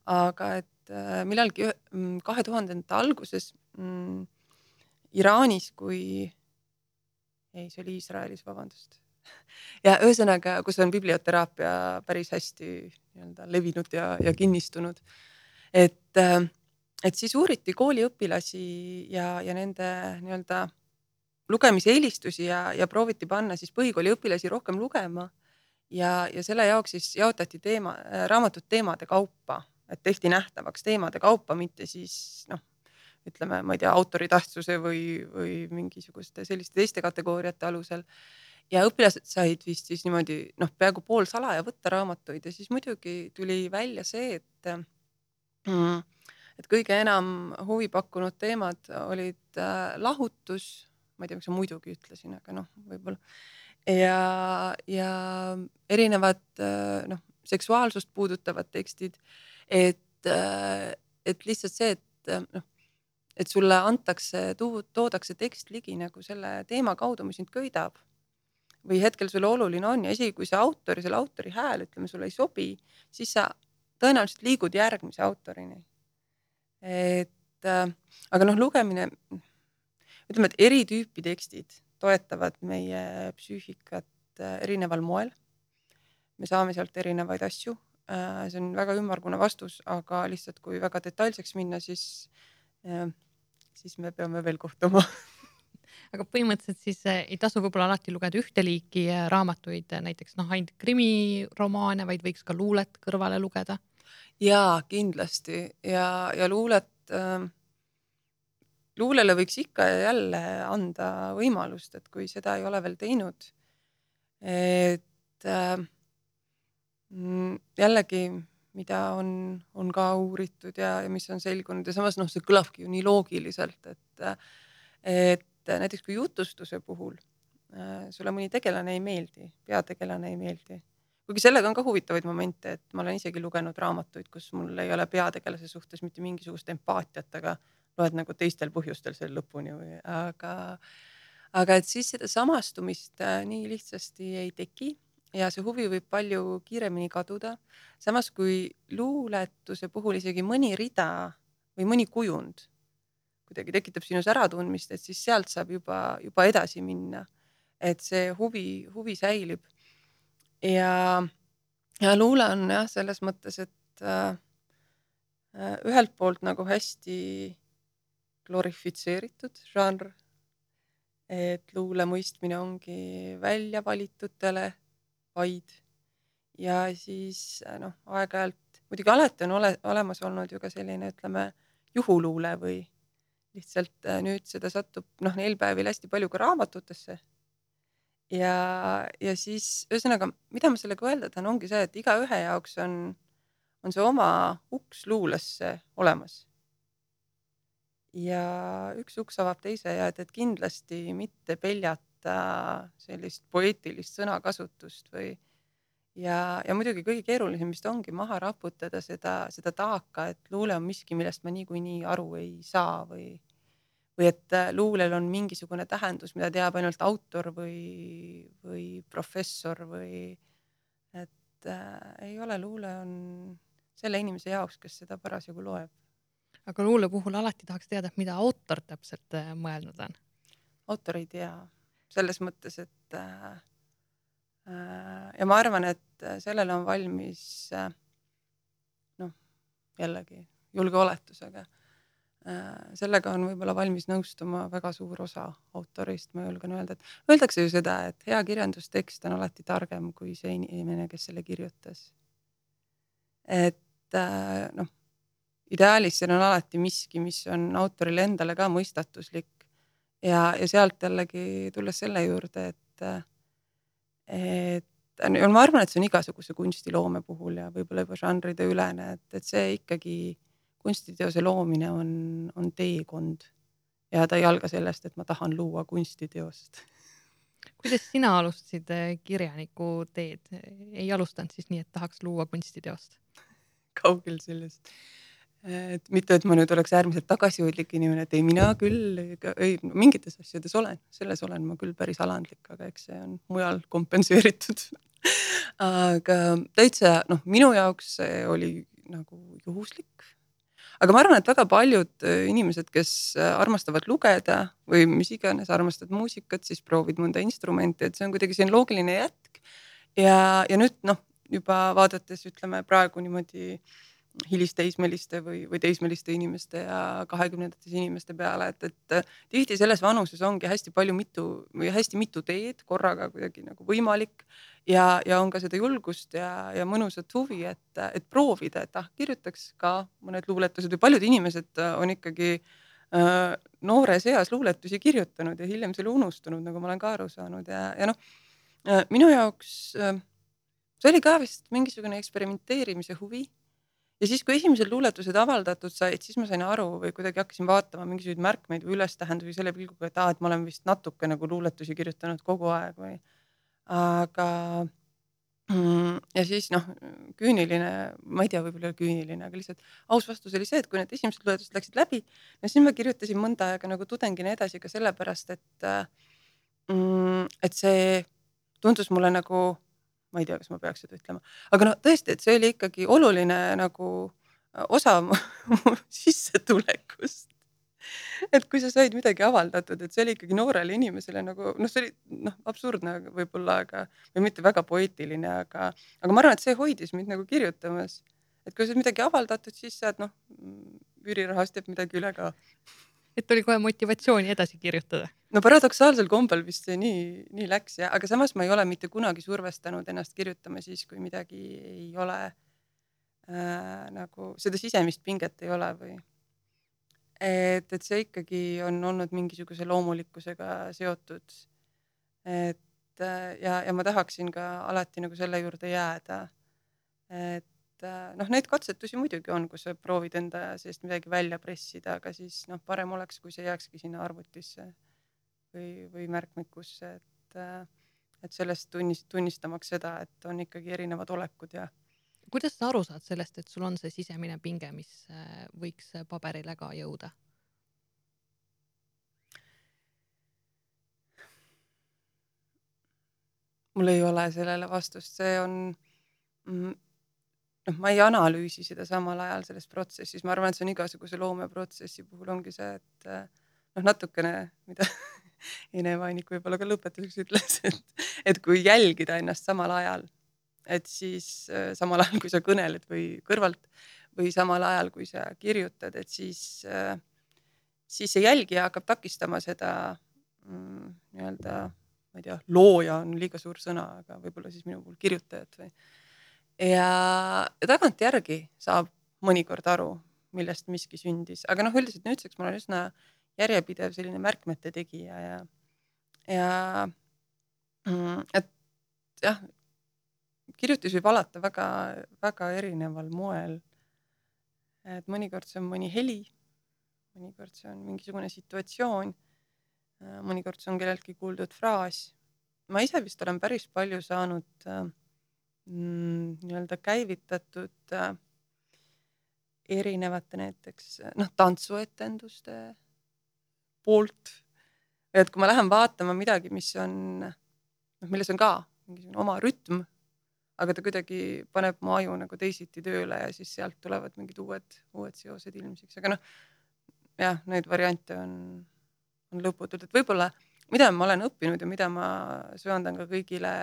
aga et millalgi kahe tuhandete alguses mm, Iraanis, kui ei, see oli Iisraelis, vabandust. Ja ühesõnaga, kus on biblioteraapia päris hästi nii-öelda levinud ja, ja kinnistunud. Et, et siis uuriti kooliõpilasi ja, ja nende nii-öelda lugemise eelistusi ja, ja prooviti panna siis põhikooli õpilasi rohkem lugema. Ja, ja selle jaoks siis jaotati teema, raamatud teemade kaupa, et tehti nähtavaks teemade kaupa, mitte siis, noh, ütleme, ma ei tea, autori tähtsuse või, või mingisuguste selliste teiste kategooriate alusel. Ja õpilased said vist siis niimoodi, noh, peaaegu pool salaja võtta raamatuid ja siis muidugi tuli välja see, et, et kõige enam huvi pakkunud teemad olid lahutus, ma ei tea, miks ma muidugi ütlesin, aga noh, võib-olla, ja, ja erinevad, noh, seksuaalsust puudutavad tekstid, et, et lihtsalt see, et, noh, et sulle antakse, toodakse tekst ligi nagu selle teema kaudu, mis sind köidab. Või hetkel sulle oluline on ja isegi kui see autori, selle autori hääl, ütleme, sulle ei sobi, siis sa tõenäoliselt liigud järgmise autorini. Et, aga noh, lugemine, ütleme, et eri tüüpi tekstid toetavad meie psüühikat erineval moel. Me saame sealt erinevaid asju. See on väga ümmargune vastus, aga lihtsalt kui väga detailseks minna, siis, siis me peame veel kohtuma. Aga põhimõtteliselt siis ei tasu võib-olla alati lugeda ühte liiki raamatuid, näiteks noh, ainult krimiromaane, vaid võiks ka luulet kõrvale lugeda? Jaa, kindlasti. Ja, ja luulet, äh, luulele võiks ikka ja jälle anda võimalust, et kui seda ei ole veel teinud, et äh, jällegi, mida on, on ka uuritud ja, ja mis on selgunud ja samas noh, see kõlavki ju nii loogiliselt, et, et näiteks kui jutustuse puhul sulle mõni tegelane ei meeldi, peategelane ei meeldi. Kuigi sellega on ka huvitavaid momente, et ma olen isegi lugenud raamatuid, kus mul ei ole peategelase suhtes mitte mingisugust empaatiat, aga loed nagu teistel põhjustel selle lõpuni. Või, aga, aga et siis seda samastumist nii lihtsasti ei teki ja see huvi võib palju kiiremini kaduda. Samas kui luuletuse puhul isegi mõni rida või mõni kujund kuidagi tekitab sinus äratundmist, et siis sealt saab juba, juba edasi minna, et see huvi, huvi säilib. Ja, ja luule on jah, selles mõttes, et äh, ühelt poolt nagu hästi glorifitseeritud žanr, et luule mõistmine ongi välja valitutele vaid ja siis noh, aeg-ajalt, muidugi alati on ole, olemas olnud ju ka selline, ütleme, juhuluule või lihtsalt nüüd seda satub noh, neil päevil hästi palju ka raamatutesse. Ja, ja siis ühesõnaga, mida ma sellega öelda tahan, ongi see, et iga ühe jaoks on, on see oma uks luulesse olemas. Ja üks uks avab teise ja et, et kindlasti mitte peljata sellist poeetilist sõnakasutust või ja, ja muidugi kõige keerulisem vist ongi maha raputada seda, seda taaka, et luule on miski, millest ma niikuinii aru ei saa või või et luulel on mingisugune tähendus, mida teab ainult autor või, või professor või et äh, ei ole, luule on selle inimese jaoks, kes seda parasjagu loeb. Aga luule puhul alati tahaks teada, mida autor täpselt mõelnud on. Autor ei tea selles mõttes, et äh, ja ma arvan, et sellele on valmis äh, noh, jällegi julge oletusega. Sellega on võib-olla valmis nõustuma väga suur osa autorist, ma julgen öelda, et öeldakse ju seda, et hea kirjandustekst on alati targem kui see inimene, kes selle kirjutas. Et noh, ideaalis seal on alati miski, mis on autorile endale ka mõistatuslik ja, ja sealt jällegi tulles selle juurde, et, et ma arvan, et see on igasuguse kunstiloome puhul ja võib-olla juba žanride ülene, et, et see ikkagi kunstiteose loomine on, on teekond ja ta ei alga sellest, et ma tahan luua kunstiteost. Kuidas sina alustasid kirjaniku teed? Ei alustanud siis nii, et tahaks luua kunstiteost? Kaugel sellest. Et mitte, et ma nüüd oleks äärmiselt tagasihoidlik inimene, et ei, mina küll, ei, mingites asjades olen, selles olen ma küll päris alandlik, aga eks see on mujal kompenseeritud. Aga täitsa, noh, minu jaoks see oli nagu juhuslik. Aga ma arvan, et väga paljud inimesed, kes armastavad lugeda või mis iganes armastavad muusikat, siis proovid mõnda instrumenti, et see on kuidagi selline loogiline jätk. Ja, ja nüüd noh, juba vaadates ütleme praegu niimoodi hilisteismeliste või, või teismeliste inimeste ja kahekümnendates inimeste peale, et, et tihti selles vanuses ongi hästi palju mitu või hästi mitu teed korraga kuidagi nagu võimalik ja, ja on ka seda julgust ja, ja mõnusat huvi, et, et proovida, et ah, kirjutaks ka mõned luuletused või paljud inimesed on ikkagi äh, noores eas luuletusi kirjutanud ja hiljem selle unustunud, nagu ma olen ka aru saanud ja, ja noh, minu jaoks äh, see oli ka vist mingisugune eksperimenteerimise huvi. Ja siis, kui esimesed luuletused avaldatud said, siis ma sain aru või kuidagi hakkasin vaatama mingisuguseid märkmeid või ülestähendusi selle pilguga, et, aa, et ma olen vist natuke nagu luuletusi kirjutanud kogu aeg või. Aga ja siis noh, küüniline, ma ei tea, võib-olla küüniline, aga lihtsalt aus vastus oli see, et kui need esimesed luuletused läksid läbi, no siis ma kirjutasin mõnda aega nagu tudengina edasi ka sellepärast, et, et see tundus mulle nagu ma ei tea, kas ma peaks seda ütlema, aga no tõesti, et see oli ikkagi oluline nagu osa sissetulekust. Et kui sa said midagi avaldatud, et see oli ikkagi noorele inimesele nagu, noh, see oli noh, absurdne võib-olla, aga, või mitte väga poeetiline, aga, aga ma arvan, et see hoidis mind nagu kirjutamas. Et kui sa midagi avaldatud, siis saad noh, üürirahast jääb midagi üle ka. Et oli kohe motivatsiooni edasi kirjutada. No paradoksaalsel kombel vist see nii, nii läks ja, aga samas ma ei ole mitte kunagi survestanud ennast kirjutama siis, kui midagi ei ole äh, nagu seda sisemist pinget ei ole või et, et see ikkagi on olnud mingisuguse loomulikkusega seotud. Et ja, ja ma tahaksin ka alati nagu selle juurde jääda. Et noh, neid katsetusi muidugi on, kus sa proovid enda seest midagi välja pressida, aga siis noh, parem oleks, kui see jääkski sinna arvutisse või, või märkmikusse, et, et sellest tunnist, tunnistamaks seda, et on ikkagi erinevad olekud ja. Kuidas sa aru saad sellest, et sul on see sisemine pinge, mis võiks paberile ka jõuda? Mul ei ole sellele vastust, see on noh, ma ei analüüsi seda samal ajal selles protsessis, ma arvan, et see on igasuguse loomeprotsessi puhul ongi see, et noh, natukene, mida Ene Vainik võib-olla ka lõpetuseks ütles, et, et kui jälgida ennast samal ajal, et siis samal ajal, kui sa kõneled või kõrvalt või samal ajal, kui sa kirjutad, et siis siis see jälgija hakkab takistama seda mm, nii-öelda, ma ei tea, looja on liiga suur sõna, aga võib-olla siis minu puhul kirjutajad või. Ja, ja tagantjärgi saab mõnikord aru, millest miski sündis, aga noh, üldiselt nüüdseks ma olen üsna järjepidev selline märkmete tegija ja, ja mm, et jah, kirjutis võib alata väga, väga erineval moel. Et mõnikord see on mõni heli, mõnikord see on mingisugune situatsioon, mõnikord see on kelleltki kuuldud fraas. Ma ise vist olen päris palju saanud mm, nii-öelda käivitatud äh, erinevate näiteks noh, tantsuetenduste poolt. Et kui ma lähen vaatama midagi, mis on, noh, milles on ka mingisugune oma rütm, aga ta kuidagi paneb mu aju nagu teisiti tööle ja siis sealt tulevad mingid uued, uued seosed ilmsiks. Aga noh, jah, neid variante on, on lõputult. Et võib-olla, mida ma olen õppinud ja mida ma söandan ka kõigile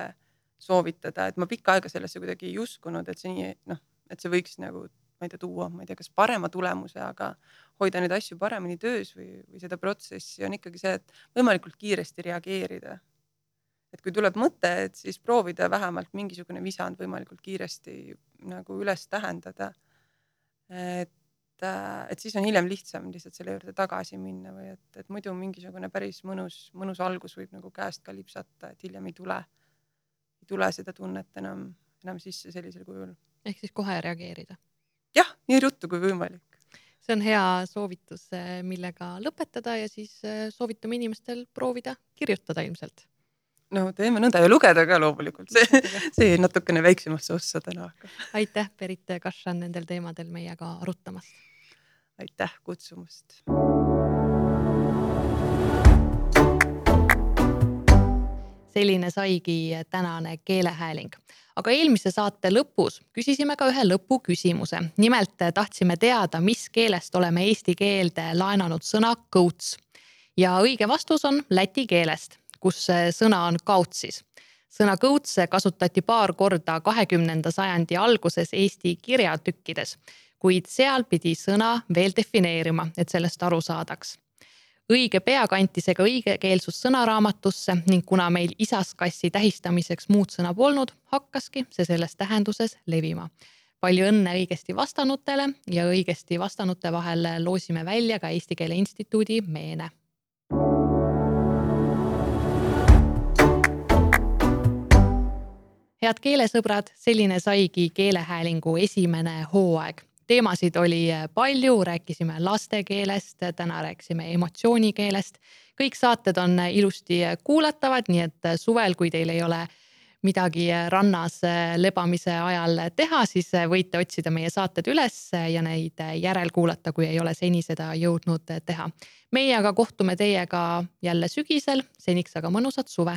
soovitada, et ma pikka aega sellesse kuidagi ei uskunud, et see nii, noh, et see võiks nagu, ma ei tea, tuua, ma ei tea, kas parema tulemuse, aga hoida neid asju paremini töös või, või seda protsessi on ikkagi see, et võimalikult kiiresti reageerida. Et kui tuleb mõte, et siis proovida vähemalt mingisugune visand võimalikult kiiresti nagu üles tähendada. Et, et siis on hiljem lihtsam lihtsalt selle juurde tagasi minna või et, et muidu mingisugune päris mõnus, mõnus algus võib nagu käest ka lipsata, et hiljem ei tule, ei tule seda tunnet enam, enam sisse sellisel kujul. Ehk siis kohe reageerida. Jah, nii ruttu kui võimalik. See on hea soovitus, millega lõpetada ja siis soovitame inimestel proovida kirjutada ilmselt. No teeme nõnda ja lugeda ka loomulikult. See, see natukene väiksemasse ossa täna. Aitäh, Berit Kašan, nendel teemadel meiega arutamast. Aitäh kutsumast. Selline saigi tänane keelehääling. Aga eelmise saate lõpus küsisime ka ühe lõpu küsimuse. Nimelt tahtsime teada, mis keelest oleme eesti keelde laenanud sõna kõuts. Ja õige vastus on läti keelest, kus sõna on kautsis. Sõna kõuts kasutati paar korda kahekümnenda sajandi alguses Eesti kirjatükkides, kuid seal pidi sõna veel defineerima, et sellest aru saadaks. Õige pea kantis ega õigekeelsus sõnaraamatusse ning kuna meil isaskassi tähistamiseks muud sõna polnud, hakkaski see selles tähenduses levima. Palju õnne õigesti vastanutele ja õigesti vastanute vahel loosime välja ka Eesti Keele Instituudi meene. Head keelesõbrad, selline saigi keelehäälingu esimene hooaeg. Teemasid oli palju, rääkisime lastekeelest, täna rääkisime emotsioonikeelest. Kõik saated on ilusti kuulatavad, nii et suvel, kui teil ei ole midagi rannas lebamise ajal teha, siis võite otsida meie saated üles ja neid järelkuulata, kui ei ole seni seda jõudnud teha. Meie aga kohtume teiega jälle sügisel, seniks aga mõnusat suve.